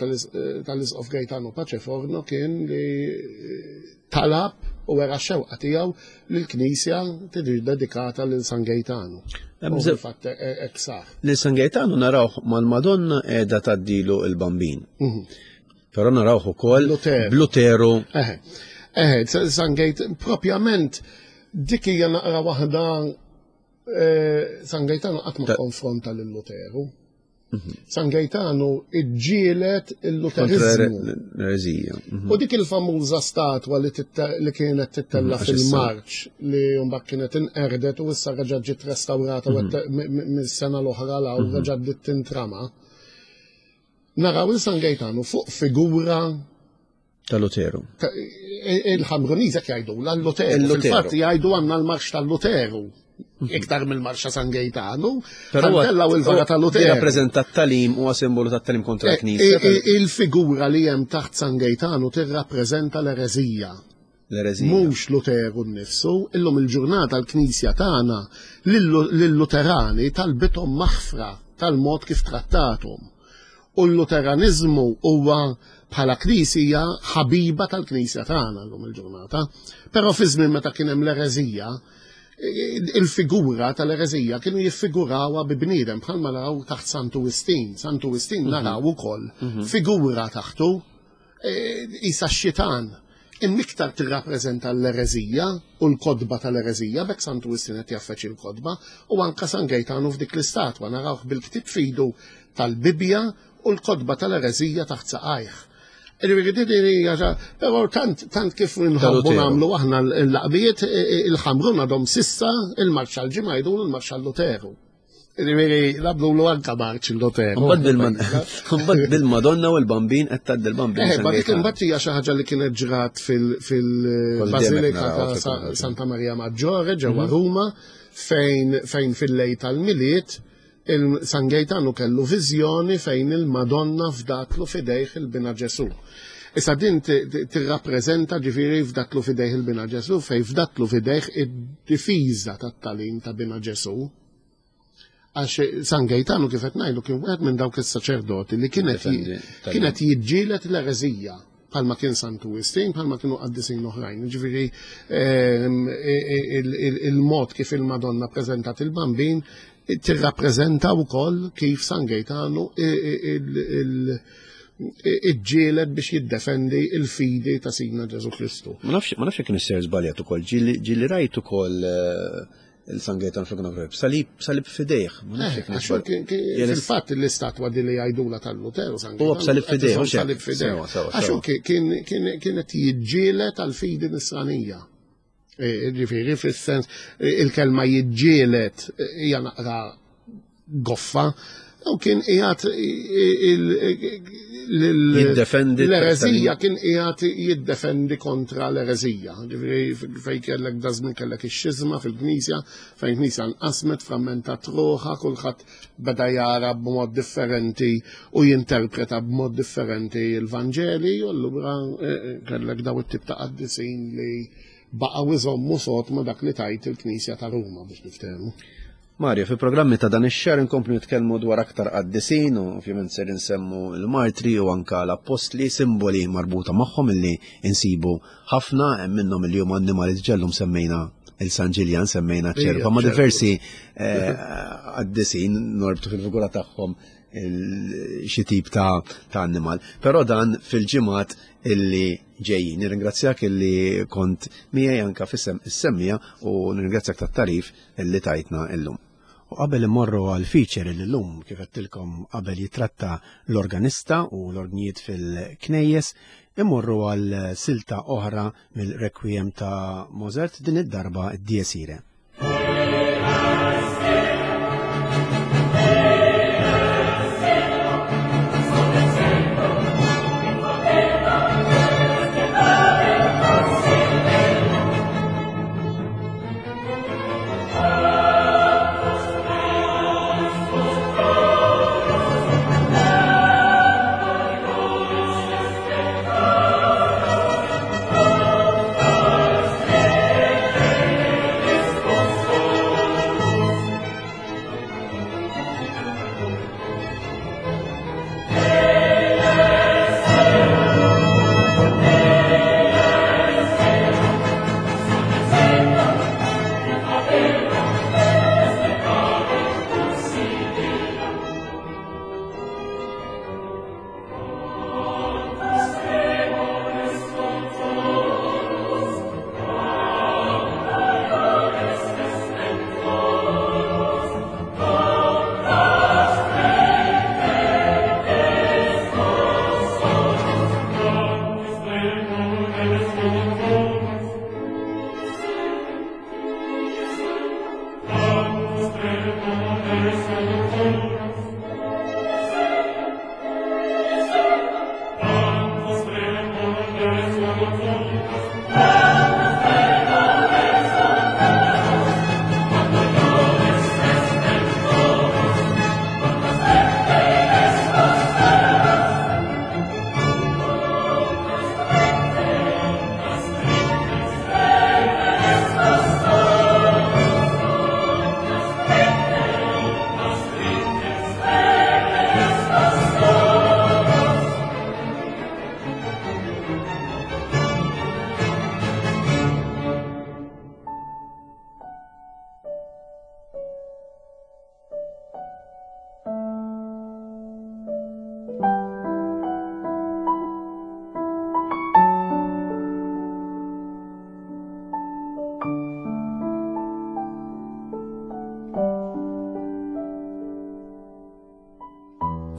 tal-Isqof Gaetano Paceforno kien li talab u wera xewqa tiegħu li l-knisja tiġi dedikata lil San Gaetano. Fatt hekk sar. Lil San Gaetano narawh mal-Madonna qiegħda tgħaddilu l-Bambin. Però narawh ukoll Bluteru. Eħe, eħe, San Gaetano propjament dik hija naqra waħda San Gaetano qatt ma konfronta lil Luteru. San Gaetano iġġielet il-Luterizmu. L-erezija. U dik il-famuża statwa li kienet tittella fil-marċ li mbagħad kienet inqerdet u issa reġgħet ġiet restawrata mis-sena l-oħra l reġgħet bdiet tintrama. Naraw il San Gaetano fuq figura ta' Luteru. Il-Ħamruniż hekk jgħidu l-Luteru. Fil-fatt jgħidu għandna l-marx tal-Luteru. Iktar mill-marxa San Gaetano, Però tellaw il-vara tal-Luteru. Jirrappreżenta t-talim huwa simbolu tat-talim kontra l-Knisja. Il-figura li hemm taħt San Gaetano tirrappreżenta l-ereżija. L-ereżija. Mhux Luteru nnifsu, illum il-ġurnata l-Knisja tagħna lill-Luterani talbithom maħfra tal-mod kif trattathom. U l-Luteraniżmu huwa bħala Knisja ħabiba tal-Knisja tagħna llum il-ġurnata. Però fi żmien meta kien hemm l-ereżija, il-figura tal-ereżija kienu jiffigurawha bi bniedem bħalma naraw taħt Santu Wistin. Santu Wistin naraw ukoll figura taħtu isa x-xitan. Imma iktar tirrappreżenta l-ereżija u l-kodba tal-ereżija, bekk Santu Wistin qed jaffeċ il-kodba, u anka San Gaetano f'dik l-istatwa narawh bil-ktieb fidu tal-Bibbja u l-kodba tal-ereżija taħt saqajh. Però tant kif nħobbu nagħmlu aħna l-laqbijiet, il-Ħamrun għadhom sissa il-marċ għal-ġimgħa jgħidulu l-marċ għal-Luteru. Ġifieri, nagħmlu anka marċ il-Luteru. Mbagħad bil-Madonna u l-Bambin qed tgħaddi l-Bambin. Ma dik imbagħad hija xi ħaġa li kienet ġrat fil-Bażilika ta' Santa Maria Maggiore ġewwa Ruma fejn fil-lejl tal-Milied il-San Gaetano kellu viżjoni fejn il-Madonna fdatlu fidejh il-Bina Ġesu. Issa din tirrappreżenta ġifieri fdatlu fidejh il-Bina Ġesu fejn fdatlu fidejh id-difiża tat-talim ta' Bina Ġesu. Għax San Gaetano kif qed ngħidu kien wieħed minn dawk is-saċerdoti li kienet jiġġieled l-ereżija bħalma kien Santu Wistin, bħalma kienu qaddisin oħrajn. Ġifieri il-mod kif il-Madonna preżentat il-Bambin tirrappreżenta wkoll kif San Gaetano iġġieled biex jiddefendi il-fidi ta' Sidna Ġesu Kristu. Ma nafx jekk nisser żbaljat ukoll, ġieli rajt ukoll il-San Gaetano fl-ikonografija, salib fidejh. Ma nafx jekk nisser. Fil-fatt l-istatwa di li jgħidula tal-Luteru, San Huwa Gaetano, b'salib fidejh, qed mhux hekk? salib fidejh. Sewa, sewa, Għax hu sewa. kienet jiġġieled għal-fidi nisranija. Ġifieri, fis-sens, il-kelma jiġġieled hija naqra goffa, u kien qiegħed Jiddefendi l-ereżija, kien qiegħed jiddefendi kontra l-ereżija. Ġifieri fejn kellek dażmin kellek ix-xiżma fil-Knisja, fejn Knisja nqasmet, frammentat ruħha, kulħadd beda jara b'mod differenti u jinterpreta b'mod differenti l-Vanġeli, u allura kellek daw it-tip ta' qaddisin li baqgħu iżommu sod ma' dak li tajt il-Knisja ta' Ruma biex niftehmu. Mario, fi programmi ta' dan ix-xahar inkomplu nitkellmu dwar aktar qaddisin u ovvjament ser insemmu l-martri u anka l-appostli, simboli marbuta magħhom illi insibu ħafna, hemm minnhom illi huma annimali ġellum semmejna il-San Ġiljan, semmejna ċerva, ma' diversi qaddisin norbtu fil-figura tagħhom xi tip ta' annimal. Però dan fil-ġimgħat illi ġejjin. Nirringrazzjak illi kont miegħi anka fis-sem is-semmija u nirringrazzjak tat-tarif illi tajtna illum. U qabel immorru għal feature illi llum kif għedtilkom qabel jitratta l-organista u l-orgnijiet fil-knejjes, immorru għal silta oħra mill-Requiem ta' Mozart, din id-darba d-Dies Irae.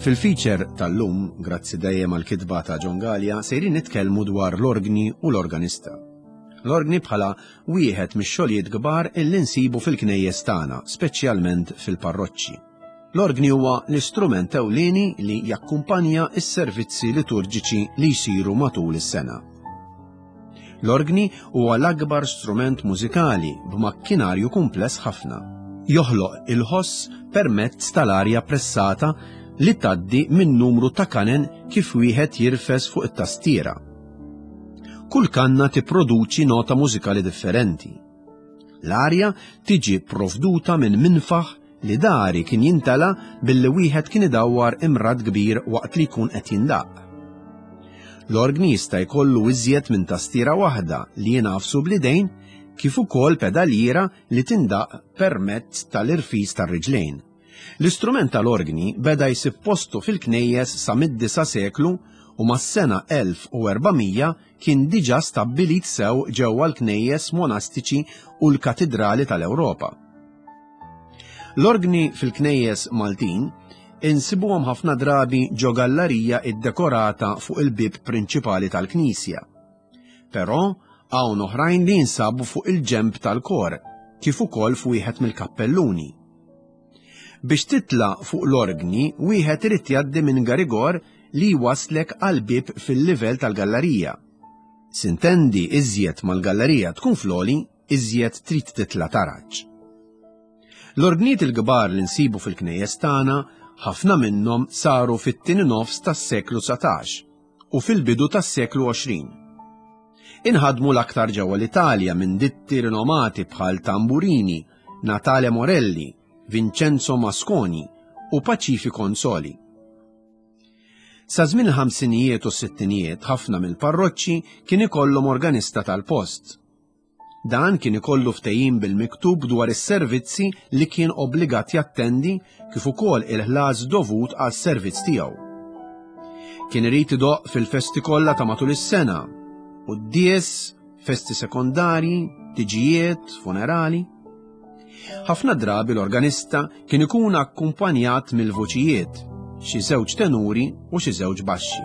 Fil-feature tal-lum, grazzi dejjem għal kitba ta' John Gallia, sejrin nitkellmu dwar l-orgni u l-organista. L-orgni bħala wieħed mix-xogħlijiet kbar illi nsibu fil-knejjes tagħna, speċjalment fil-parroċċi. L-orgni huwa l-istrument ewlieni li jakkumpanja s-servizzi liturġiċi li jsiru matul is-sena. L-orgni huwa l-akbar strument mużikali b'makkinarju kumpless ħafna. Joħloq il-ħoss permezz tal-arja pressata li tgħaddi minn numru ta' kanen kif wieħed jirfes fuq it-tastiera. Kull kanna tipproduċi nota mużikali differenti. L-arja tiġi provduta minn minfaħ li dari kien jintela billi wieħed kien idawwar imrad kbir waqt li jkun qed jindaqq. L-orgni jista' jkollu iżjed minn tastiera waħda li jingħafsu bl-idejn kif ukoll pedaliera li tindaqq permezz tal-irfis tar-riġlejn. L-istrument tal-orgni beda jsib postu fil-knejjes sa mid-disa' seklu u mas-sena 1400 kien diġà stabbilit sew ġewwa l-knejjes monastiċi u l-katidrali tal-Ewropa. L-orgni fil-knejjes Maltin insibuhom ħafna drabi ġo gallarija iddekorata fuq il-bieb prinċipali tal-knisja. Però hawn oħrajn li jinsabu fuq il-ġenb tal-kor, kif ukoll f'wieħed mill-kappelluni. Biex titla' fuq l-orgni wieħed irid jgħaddi minn garigor li jwasslek għal bieb fil-livell tal-gallarija. Sintendi iżjed mal-gallarija tkun fl-għoli, iżjed trid titla' taraġ. L-orgnijiet il-kbar li nsibu fil-knejjes tagħna ħafna minnhom saru fit-tieni nofs tas-seklu 19 u fil-bidu tas-seklu 20. Inħadmu l-aktar ġewwa l-Italja minn ditti rinomati bħal Tamburini, Natale Morelli, Vincenzo Masconi u Pacifi Consoli. Sa żmien il-ħamsinijiet u s-sittinijiet ħafna mill-parroċċi kien ikollhom organista tal-post. Dan kien ikollu ftehim bil-miktub dwar is-servizzi li kien obbligat jattendi kif ukoll il-ħlas dovut għas-servizz tiegħu. Kien irid idoqq fil-festi kollha ta' matul is-sena, quddies, festi sekondarji, tiġijiet, funerali. Ħafna drabi l-organista kien ikun akkumpanjat mill-vuċijiet, xi żewġ tenuri u xi żewġ baxxi.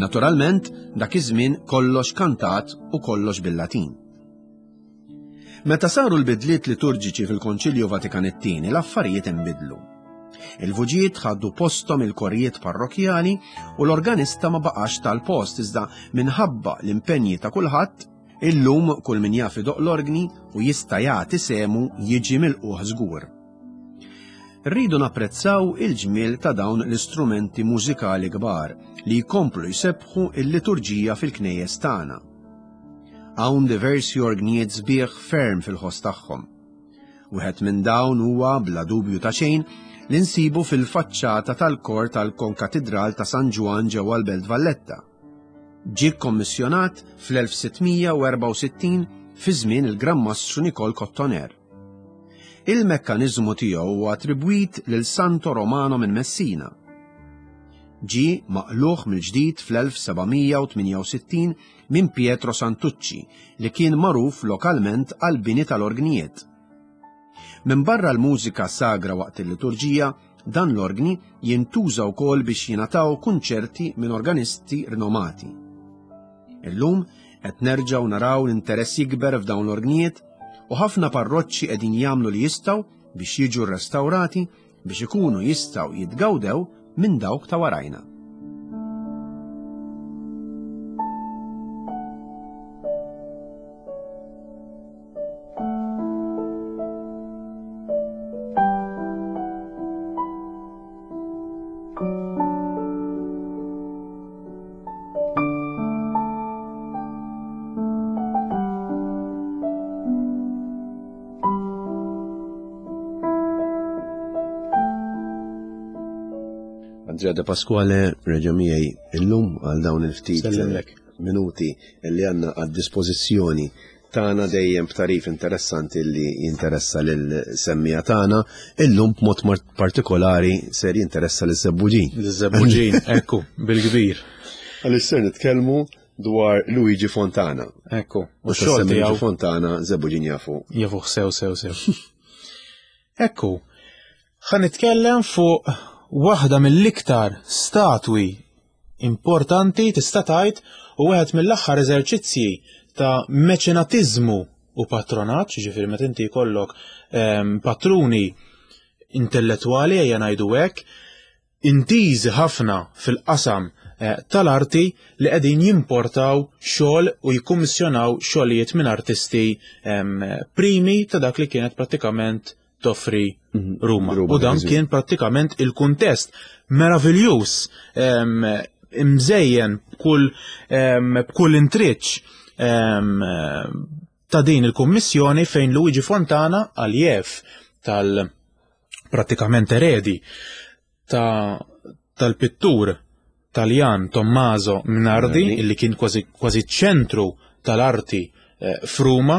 Naturalment, dak iż-żmien kollox kantat u kollox bil-Latin. Meta saru l-bidliet liturġiċi fil-Konċilju Vatikan it-Tieni, l-affarijiet inbidlu. Il-vuġijiet ħadu posthom il-korijiet parrokjali u l-organista ma baqax tal-post iżda minħabba l-impenji ta' kulħadd Illum kull min jaf idoqq l-orgni u jista' jagħti sehmu jiġi milqugħ żgur. Rridu napprezzaw il-ġmiel ta' dawn l-istrumenti mużikali kbar li jkomplu jsebbħu l-liturġija fil-knejjes tagħna. Hawn diversi orgnijiet sbieħ ferm fil-ħoss tagħhom. Wieħed minn dawn huwa bla dubju ta' xejn li nsibu fil-faċċata tal-kor tal-Konkatidral ta' San Ġwann ġewwa l-Belt Valletta. Ġie kkommissjonat fl-1664 fi żmien il-Gran Mastru Nikol Kottoner. Il-mekkaniżmu tiegħu huwa attribwit lil Santo Romano minn Messina. Ġie maqlugħ mill-ġdid fl-1768 minn Pietro Santucci li kien magħruf lokalment għall-bini tal-orgnijiet. Minbarra l-mużika sagra waqt il-liturġija, dan l-orgni jintuża wkoll biex jingħataw kunċerti minn organisti rinomati. Illum qed nerġgħu naraw l-interess jikber f'dawn l-orgnijiet u ħafna parroċċi qegħdin jagħmlu li jistgħu biex jiġu rrestawrati. biex ikunu jistgħu jitgawdew minn dawk ta' warajna. Andrea De Pasquale reġa' miegħi illum għal dawn il-ftit minuti li għandna għad-dispożizzjoni tagħna dejjem b'tarif interessanti li jinteressa lil semmija tagħna, illum b'mod partikolari ser jinteressa lil Żebbuġin. Żebbuġin, ekku, bil-kbir. Għaliex ser nitkellmu dwar Luigi Fontana. Ekku, u xogħol Luigi Fontana Żebbuġin jafu. Jafu sew sew sew. Ekku, ħa nitkellem fuq waħda mill-iktar statwi importanti tista' tgħid u wieħed mill-aħħar eżerċizzji ta' meċenatiżmu u patronaġġ, ġifieri meta inti jkollok ehm, patruni intellettwali ejja ngħidu hekk, intiżi ħafna fil-qasam eh, tal-arti li qegħdin jimportaw xogħol u jikkummissjonaw xogħlijiet minn artisti ehm, primi ta' dak li kienet prattikament toffri mhm. Ruma. U dan kien prattikament il-kuntest meraviljuż imżejjen b'kull b'kull intriċ ta' din il-kummissjoni fejn Luigi Fontana għaljev tal prattikament eredi ta' tal-pittur Taljan Tommaso Minardi, illi kien kważi kważi ċentru tal-arti eh, f'Ruma,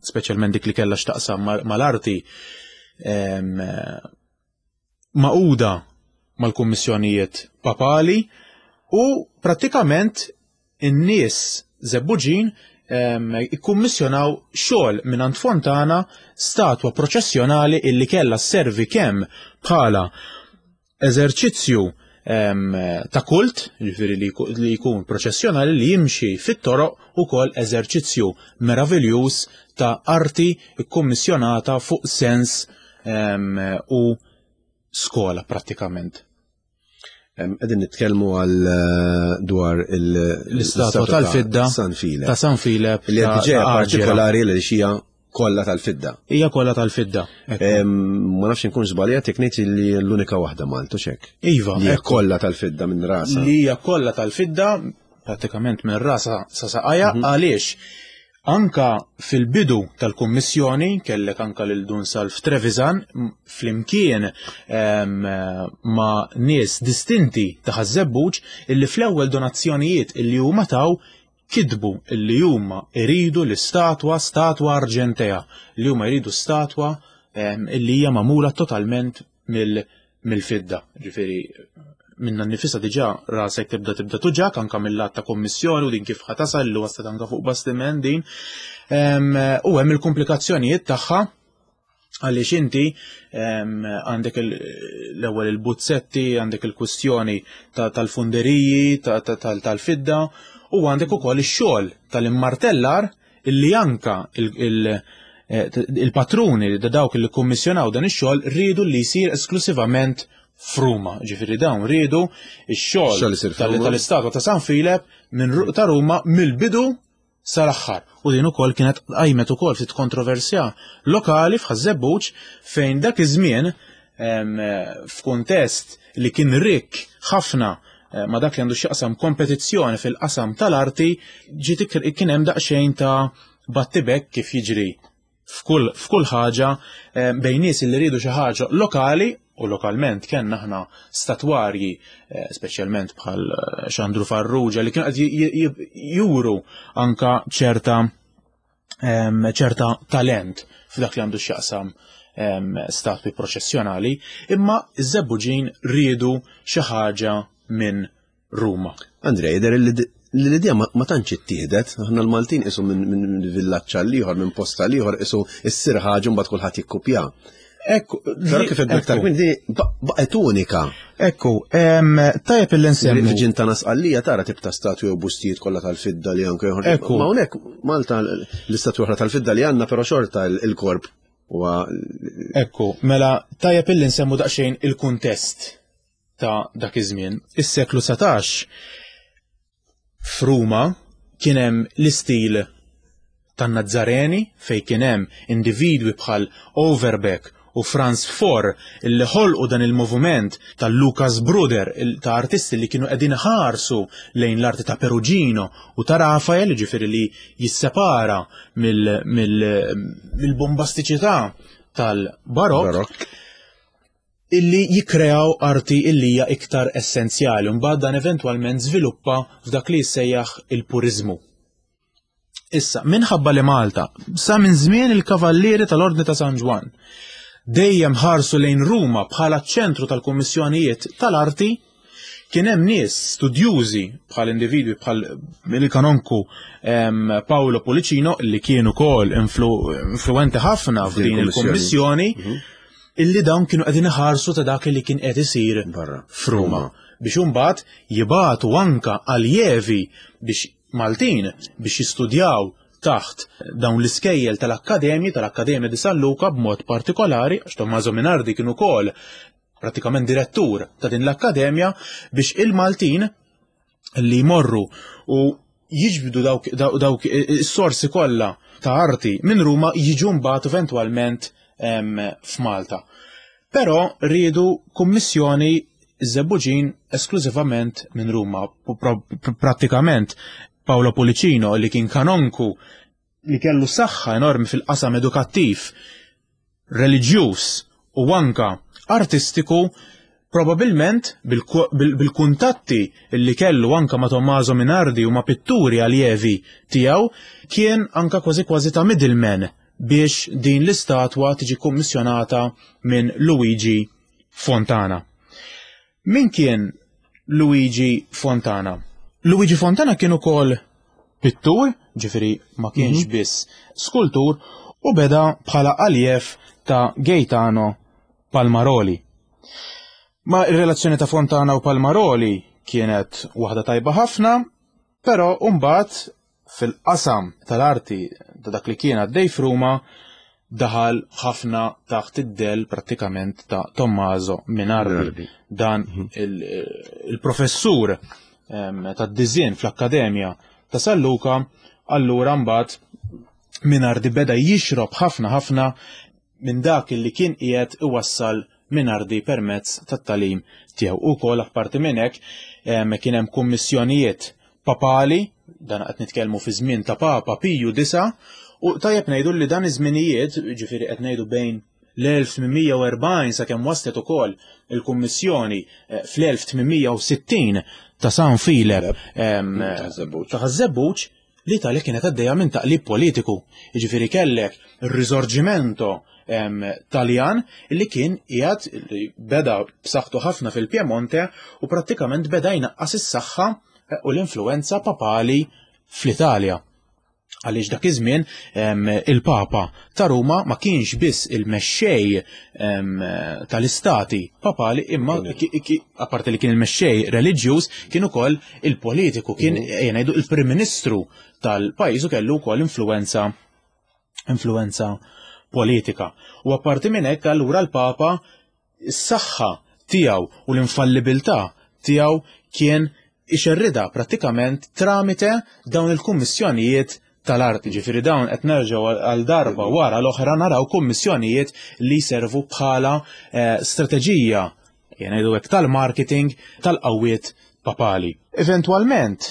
speċjalment dik li kellha x'taqsam mal-arti ehm, maquda mal-kummissjonijiet papali u prattikament in-nies Żebbuġin ikkummissjonaw xogħol mingħand Fontana statwa proċessjonali illi kellha sservi kemm bħala eżerċizzju ta' kult, jiġifieri li jkun proċessjonali li jimxi fit-toroq ukoll eżerċizzju meraviljuż ta' arti kkummissjonata fuq sens u skola prattikament. Qegħdin nitkellmu għal eh, dwar l-istatwa tal-fidda San Filep. Ta' San Filep. Li qed partikolari li xija kollha tal-fidda. Hija kollha tal-fidda. Ma nafx inkun żbaljat jekk ngħid li l-unika waħda Maltu xek. Iva. Li hija kollha tal-fidda minn rasa. Li hija kollha tal-fidda prattikament minn rasa sa saqajja mhm. għaliex Anka fil-bidu tal-Kummissjoni kellek anka lil Dun Salv Trevisan flimkien ma' nies distinti ta' Ħaż-Żebbuġ illi fl-ewwel donazzjonijiet illi huma taw kitbu illi huma jridu l-istatwa statwa arġentea, li huma jridu statwa illi hija magħmula totalment mill-fidda. Ġifieri minna nnifisha diġà rasek tibda tibda tuġak anka mill-lat ta' kommissjoni u din kif ħatasal li waslet anka fuq bastiment din. U hemm il-komplikazzjonijiet tagħha għaliex inti għandek l-ewwel il-buzzetti, għandek il-kwistjoni tal-funderiji, tal-fidda u għandek ukoll ix-xogħol tal-immartellar illi anka eh, il-patruni li dawk li kummissjonaw dan ix-xogħol riedu li jsir esklusivament f'Ruma. Ġifieri dawn riedu ix-xogħol tal-istatwa ta' San Filep minn ta' Ruma mill-bidu sal-aħħar. U din ukoll kienet qajmet ukoll ftit kontroversja lokali f'Ħaż-Żebbuġ fejn dak iż-żmien f'kuntest li kien rikk ħafna eh, ma dak li għandu x'jaqsam kompetizzjoni fil-qasam tal-arti ġiet kien hemm daqsxejn ta' battibek kif jiġri f'kull f'kull ħaġa eh, bejn nies li rridu xi ħaġa lokali u lokalment kellna aħna statwarji eh, speċjalment bħal Xandru Farrugia li kienu qed juru anka ċerta ċerta talent f'dak li għandu x'jaqsam statwi proċessjonali, imma iż-Żebbuġin riedu xi ħaġa minn Ruma. Andrej, jidher li l-idea ma tantx ittieħdet, aħna l-Maltin qisu minn villaġġ għal ieħor, minn post għal ieħor, qisu issir ħaġa mbagħad kulħadd jikkupja. Ekku, però kif qed aktar minn din baqgħet unika. Ekku, tajjeb illi nsemmu. Viġin ta' Nasqallija tara tip ta' statwi u bustijiet kollha tal-fidda li anke joħorġu. Ekku. Ma hawnhekk Malta l-istatwi oħra tal-fidda li għandna però xorta il-korp. Huwa Ekku, mela tajjeb illi nsemmu daqsxejn il-kuntest ta' dak iż-żmien. Is-seklu 19 f'Ruma kien hemm l-istil tan-Nazzareni fejn kien hemm individwi bħal Overbeck u Franz Faure illi ħolqu dan il-moviment tal-Lukas Bruder ta' artisti li kienu qegħdin iħarsu lejn l-arti ta' Perugino u ta' Rafael, jiġifieri li jissepara mill-bombastiċità tal-Barokk. Illi jikkreaw arti illi hija iktar essenzjali u mbagħad dan eventwalment żviluppa f'dak li jissejjaħ il-puriżmu. Issa, minħabba li Malta, sa minn żmien il-Kavallieri tal-Ordni ta' San Ġwann, dejjem ħarsu lejn Ruma bħala ċ-ċentru tal-kummissjonijiet tal-arti, kien hemm nies studjużi bħal individwi bħal il-kanonku Paolo Pulicino li kien ukoll influenti ħafna f'din il-kummissjoni mhm. illi dawn kienu qegħdin iħarsu ta' dak li kien qed isir f'Ruma biex imbagħad jibatu anka aljevi biex Maltin biex jistudjaw taħt dawn l-iskejjel tal-akkademji, tal-Akkademja di San Luca b'mod partikolari, għax Tommaso Minardi kien ukoll pratikament direttur ta' din l-akkademja, biex il-Maltin li jmorru u jiġbdu dawk, dawk is-sorsi kollha ta' arti minn Ruma jiġu mbagħad eventwalment f'Malta. Però riedu kummissjoni Żebbuġin esklużivament minn Ruma. Prattikament Paolo Pulicino li kien kanonku li kellu saħħa enormi fil-qasam edukattiv, reliġjuż u anka artistiku, probabilment bil-kuntatti li kellu anka ma' Tommaso Minardi u ma' pitturi aljevi tiegħu, kien anka kważi kważi ta' middleman biex din l-istatwa tiġi kummissjonata minn Luigi Fontana. Min kien Luigi Fontana? Luigi Fontana kien ukoll pittur, ġifieri ma kienx mhm. biss skultur, u beda bħala aljev ta' Gaetano Palmaroli. Ma ir-relazzjoni ta' Fontana u Palmaroli kienet waħda tajba ħafna, però mbagħad fil-qasam tal-arti ta' dak li kien għaddej f'Ruma daħal ħafna taħt id-del prattikament ta' Tommaso Minardi. Dan mhm. il-professur tad-diżin fl-Akkademja ta' San Luca, allura mbagħad Minardi beda jixrob ħafna ħafna minn dak li kien qiegħed iwassal Minardi permezz tat-tagħlim tiegħu. Ukoll apparti minn hekk kien hemm kummissjonijiet papali, dan qed nitkellmu fi żmien ta' Papa Piju disa', u tajjeb ngħidu li dan iż-żminijiet, ġifieri qed ngħidu bejn l-1840 sakemm waslet ukoll il-kummissjoni eh, fl-1860 ta' San Filep ta' Ħaż-Żebbuġ, L-Italja kienet għaddejja minn taqlib politiku, jiġifieri kellek ir-Risorgimento Taljan li kien qiegħed li beda b'saħħtu ħafna fil-Piemonte u prattikament beda jnaqqas is-saħħa eh, u l-influenza papali fl-Italja. Għaliex dak iż-żmien il-Papa ta' Ruma ma kienx biss il-mexxej tal-istati papali imma apparti li kien il-mexxej reliġjuż kien ukoll il-politiku, kien mhm. ejja ngħidu il-Prim Ministru tal-pajjiż u kellu wkoll influenza influenza politika. U apparti minn hekk allura l-Papa is-saħħa tiegħu u l-infallibilità tiegħu kien ixerridha prattikament tramite dawn il-kummissjonijiet tal-arti, ġifieri dawn qed nerġgħu għal darba wara l-oħra naraw kummissjonijiet li jservu bħala eh, strateġija ngħidu hekk tal-marketing tal-qawwiet papali. Eventwalment,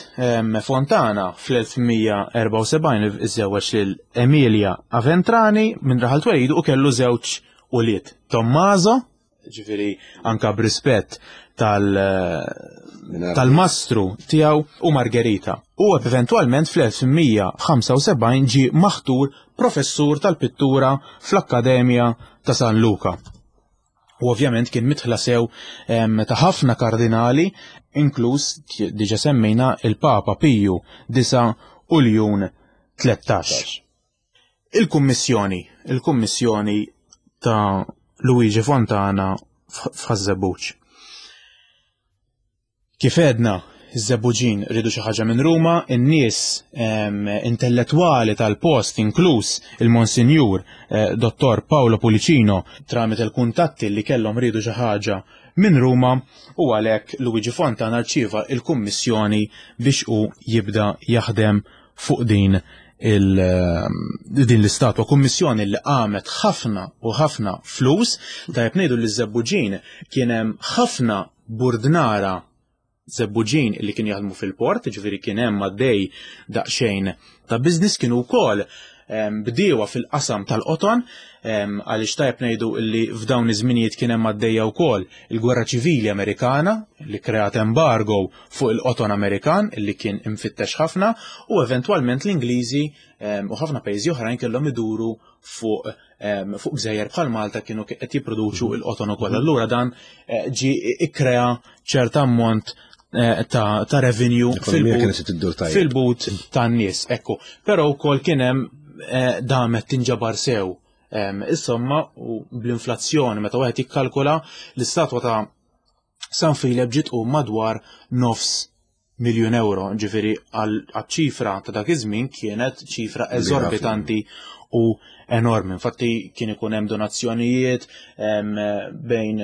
Fontana fl-1174 iżżewweġ lil Emilia Aventrani minn raħal twelidu u kellu żewġ ulied, Tommaso ġifieri anka b'rispett tal-mastru tiegħu u Margherita. U eventwalment fl-1175 ġie maħtur professur tal-pittura fl-Akkademja ta' San Luca. U ovvjament kien mitħla sew ta' ħafna kardinali, inkluż diġa semmejna il-Papa Piju 9 u Ljun 13. Il-kummissjoni, il-kummissjoni ta' Luigi Fontana f'Ħaż-Żebbuġ. Kif għedna, Iż-Żebbuġin riedu xi ħaġa minn Ruma, in-nies intellettwali tal-post inkluż il-Monsinjur eh, Dottor Paolo Pulicino tramite l-kuntatti li kellhom riedu xi ħaġa minn Ruma u għalhekk Luigi Fontana rċieva il-kummissjoni biex hu jibda jaħdem fuq din il, din l-istatwa kummissjoni li qamet ħafna u ħafna flus, tajjeb ngħidu li ż-Żebbuġin kien hemm ħafna burdnara Żebbuġin li kien jaħdmu fil-port, ġifieri kien hemm għaddej daqsxejn ta' business kienu wkoll bdiewa fil-qasam tal-qoton għaliex tajjeb ngħidu li f'dawn iż-żminijiet kien hemm għaddejja wkoll il-Gwerra Ċivili Amerikana li kreat embargo fuq il-qoton Amerikan li kien imfittex ħafna u eventwalment l-Ingliżi u ħafna pajjiżi oħrajn kellhom iduru fuq fuq gżejjer bħal Malta kienu qed jipproduċu mhm. il-qoton ukoll. Mhm. Allura dan eh, ġi ikkrea ċert ammont eh, ta', ta revenue fil-but tan-nies. Ekku, però wkoll kien hemm eh, damet tinġabar sew. Insomma, u bl-inflazzjoni meta wieħed jikkalkula l-istatwa ta' San Filep ġiet u madwar nofs miljun euro, ġifieri għal-ċifra ta' dak iż-żmien kienet ċifra eżorbitanti u enormi. Infatti kien ikun hemm donazzjonijiet bejn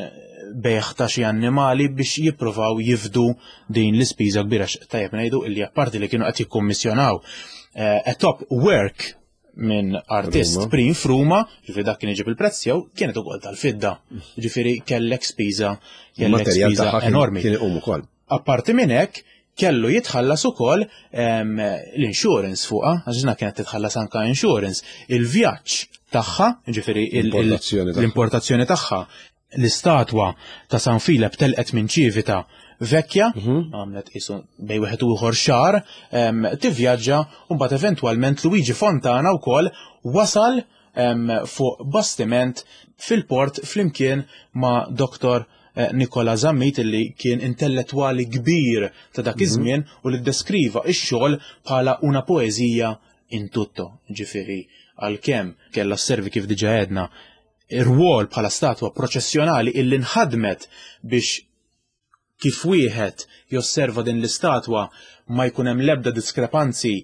bejħ ta' xi annimali biex jippruvaw jifdu din l-ispiża kbira tajjeb ngħidu illi apparti li kienu qed jikkummissjonaw eh, a top work minn artist prim f'Ruma, ġifieri dak kien iġib il-prezz jew kienet ukoll tal-fidda. Ġifieri kellek spiża kellek spiża enormi. Kien iqum ukoll. Apparti minn hekk, kellu jitħallas ukoll ehm, l-insurance fuqha, għax kienet titħallas anka insurance, il-vjaġġ tagħha, ġifieri l-importazzjoni tagħha, l-istatwa ta' San Filep telqet minn Ċivita Vecchia, mhm. għamlet isu bej wieħed u ieħor xahar, ehm, tivvjaġġa u mbagħad eventwalment Luigi Fontana wkoll wasal ehm, fuq bastiment fil-port flimkien ma' Dr. Eh, Nikola Zammit illi kien intellettwali kbir ta' dak mhm. iż-żmien u li ddeskriva x-xogħol bħala una poeżija in tutto, ġifieri għalkemm kellha sservi kif diġà għedna ir-rwol bħala statwa proċessjonali illi nħadmet biex kif wieħed josserva din l-istatwa ma jkun hemm l-ebda diskrepanzi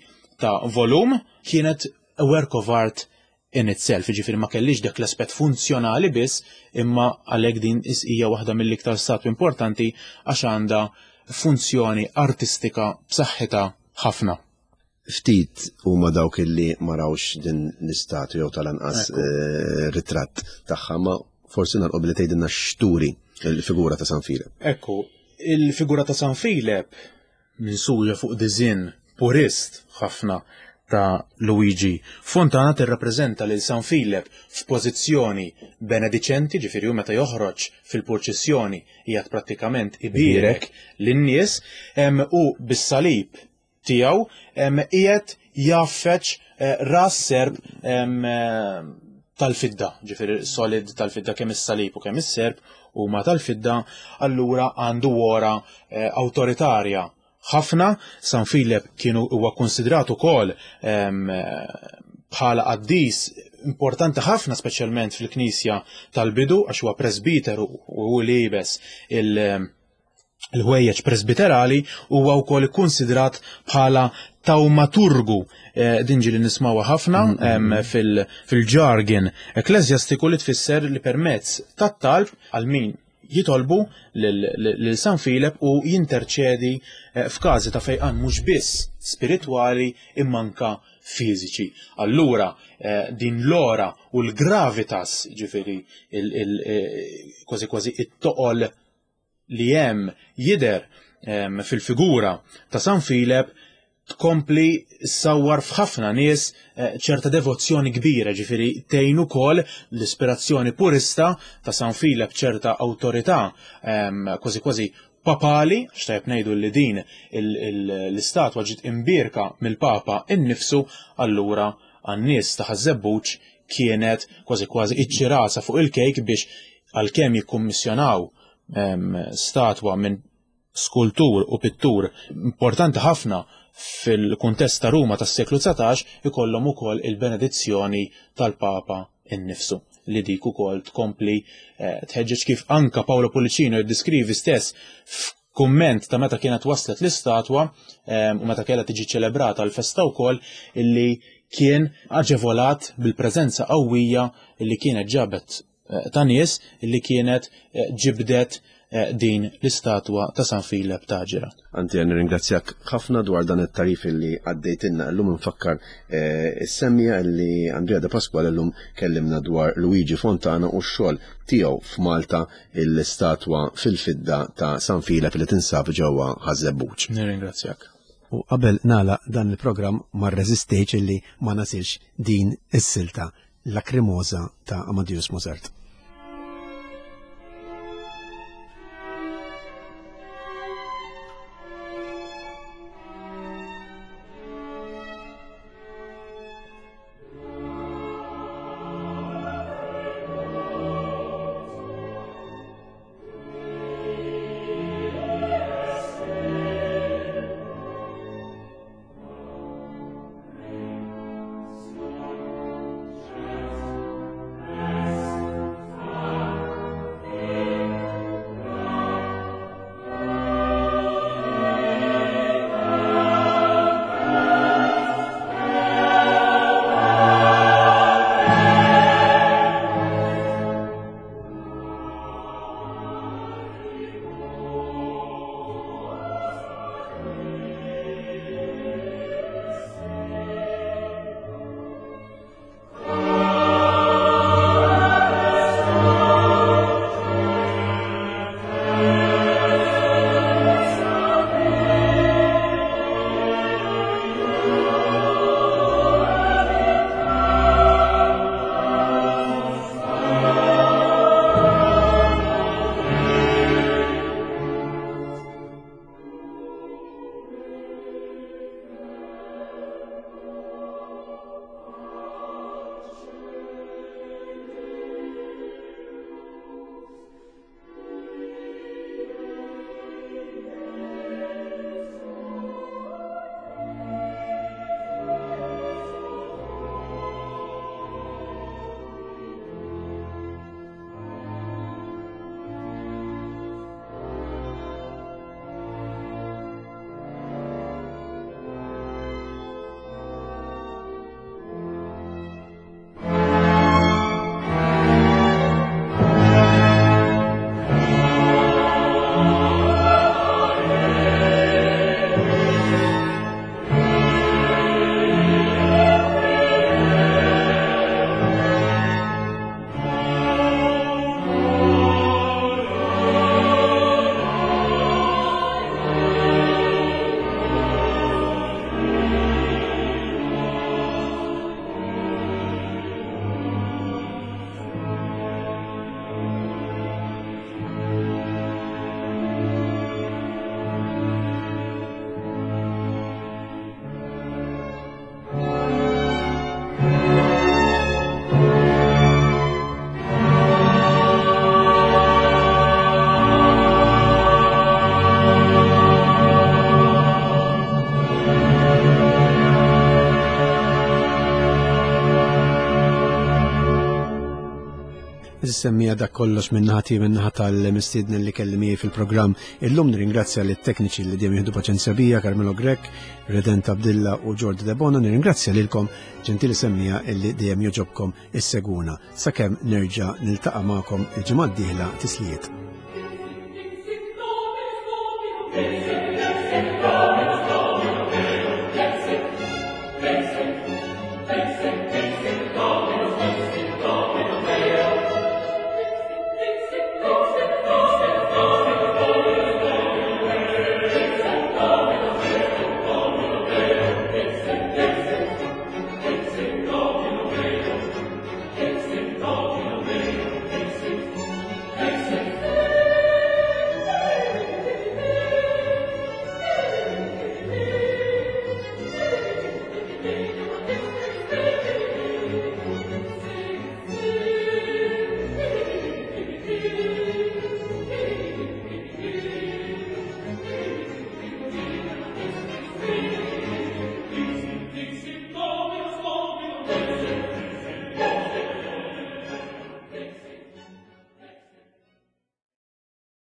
ta' volum, kienet a work of art in itself, jiġifieri ma kellix dak l-aspett funzjonali biss, imma għalhekk din hija waħda mill-iktar statwi importanti għax għandha funzjoni artistika b'saħħitha ħafna. Ftit huma dawk illi ma rawx din l-istatwa jew tal-anqas eh, ritratt tagħha, ma forsi nagħlqu billi tgħidilna x'turi il-figura ta' San Filep. Ekku, il-figura ta' San Filep minsuġa fuq diżinn purist ħafna ta' Luigi Fontana tirrappreżenta lil San Filep f'pożizzjoni benediċenti, ġifieri hu meta joħroġ fil-purċissjoni qiegħed prattikament ibierek lin-nies u bis-salib tiegħu qiegħed jgħaffeġ eh, ras serp tal-fidda, ġifieri solid tal-fidda kemm is-salib u kemm is-serp huma tal-fidda, allura għandu wora eh, awtoritarja ħafna. San Filep kienu huwa konsidrat ukoll bħala qaddis importanti ħafna speċjalment fil-Knisja tal-bidu għax huwa presbiteru u hu libes il- il-ħwejjeġ presbiterali huwa wkoll ikkunsidrat bħala tawmaturgu eh, din ġieli nismawha ħafna mm-hmm. fil-jargon ekklesjastiku li tfisser li permezz tat-talb għal min jitolbu lil San Filep u jinterċedi eh, f'każi ta' fejqan mhux biss spiritwali imma anka fiżiċi. Allura eh, din l-ora u l-gravitas ġifieri kważi kważi it-toqol li hemm jidher fil-figura ta' San Filep tkompli ssawwar f'ħafna nies eh, ċerta devozzjoni kbira, ġifieri tgħin ukoll l-ispirazzjoni purista ta' San Filep ċerta awtorità kważi kważi papali, xtajb ngħidu li din l-istatwa ġiet imbierka mill-Papa innifsu, allura għan-nies ta' Ħaż-Żebbuġ kienet kważi kważi iċ-ċirasa fuq il-kejk biex għalkemm jikkummissjonaw statwa minn skultur u pittur importanti ħafna fil-kuntest ta' Ruma tas-seklu 19 ikollhom ukoll il-benedizzjoni tal-Papa innifsu li dik ukoll tkompli eh, tħeġġeġ kif anka Paolo Pullicino jiddiskrivi stess kumment ta' meta kienet waslet l-istatwa u meta kellha tiġi ċelebrata l-festa wkoll illi kien aġevolat bil-preżenza qawwija illi kienet ġabet eh, ta' nies illi kienet eh, ġibdet eh, din l-istatwa ta' San Filep ta' Ġira. Anti nirringrazzjak ħafna dwar dan it-tarif illi għaddejtilna llum nfakkar is-semmija illi Andrea De Pasquale llum kellimna dwar Luigi Fontana u x-xogħol tiegħu f'Malta l-istatwa fil-fidda ta' San Filep li tinsab ġewwa Ħaż-Żebbuġ. Nirringrazzjak. U qabel nagħlaq dan il-programm ma rreżistejtx illi ma nasilx din is-silta Lacrimosa ta' Amadeus Mozart. Semmija dak kollox minnaħati minnaħa tal-mistiedni li kelli miegħi fil-programm. Illum nirringrazzja lit tekniċi li dejjem jieħdu paċenzja bija, Carmelo Grech, Redent Abdilla u Jordi Debona, nirringrazzja lilkom ġentili semmija illi dejjem joġobkom isseguna. Sakemm nerġa' niltaqa' magħkom il-ġimgħa d-dieħla tislijiet. Thank you.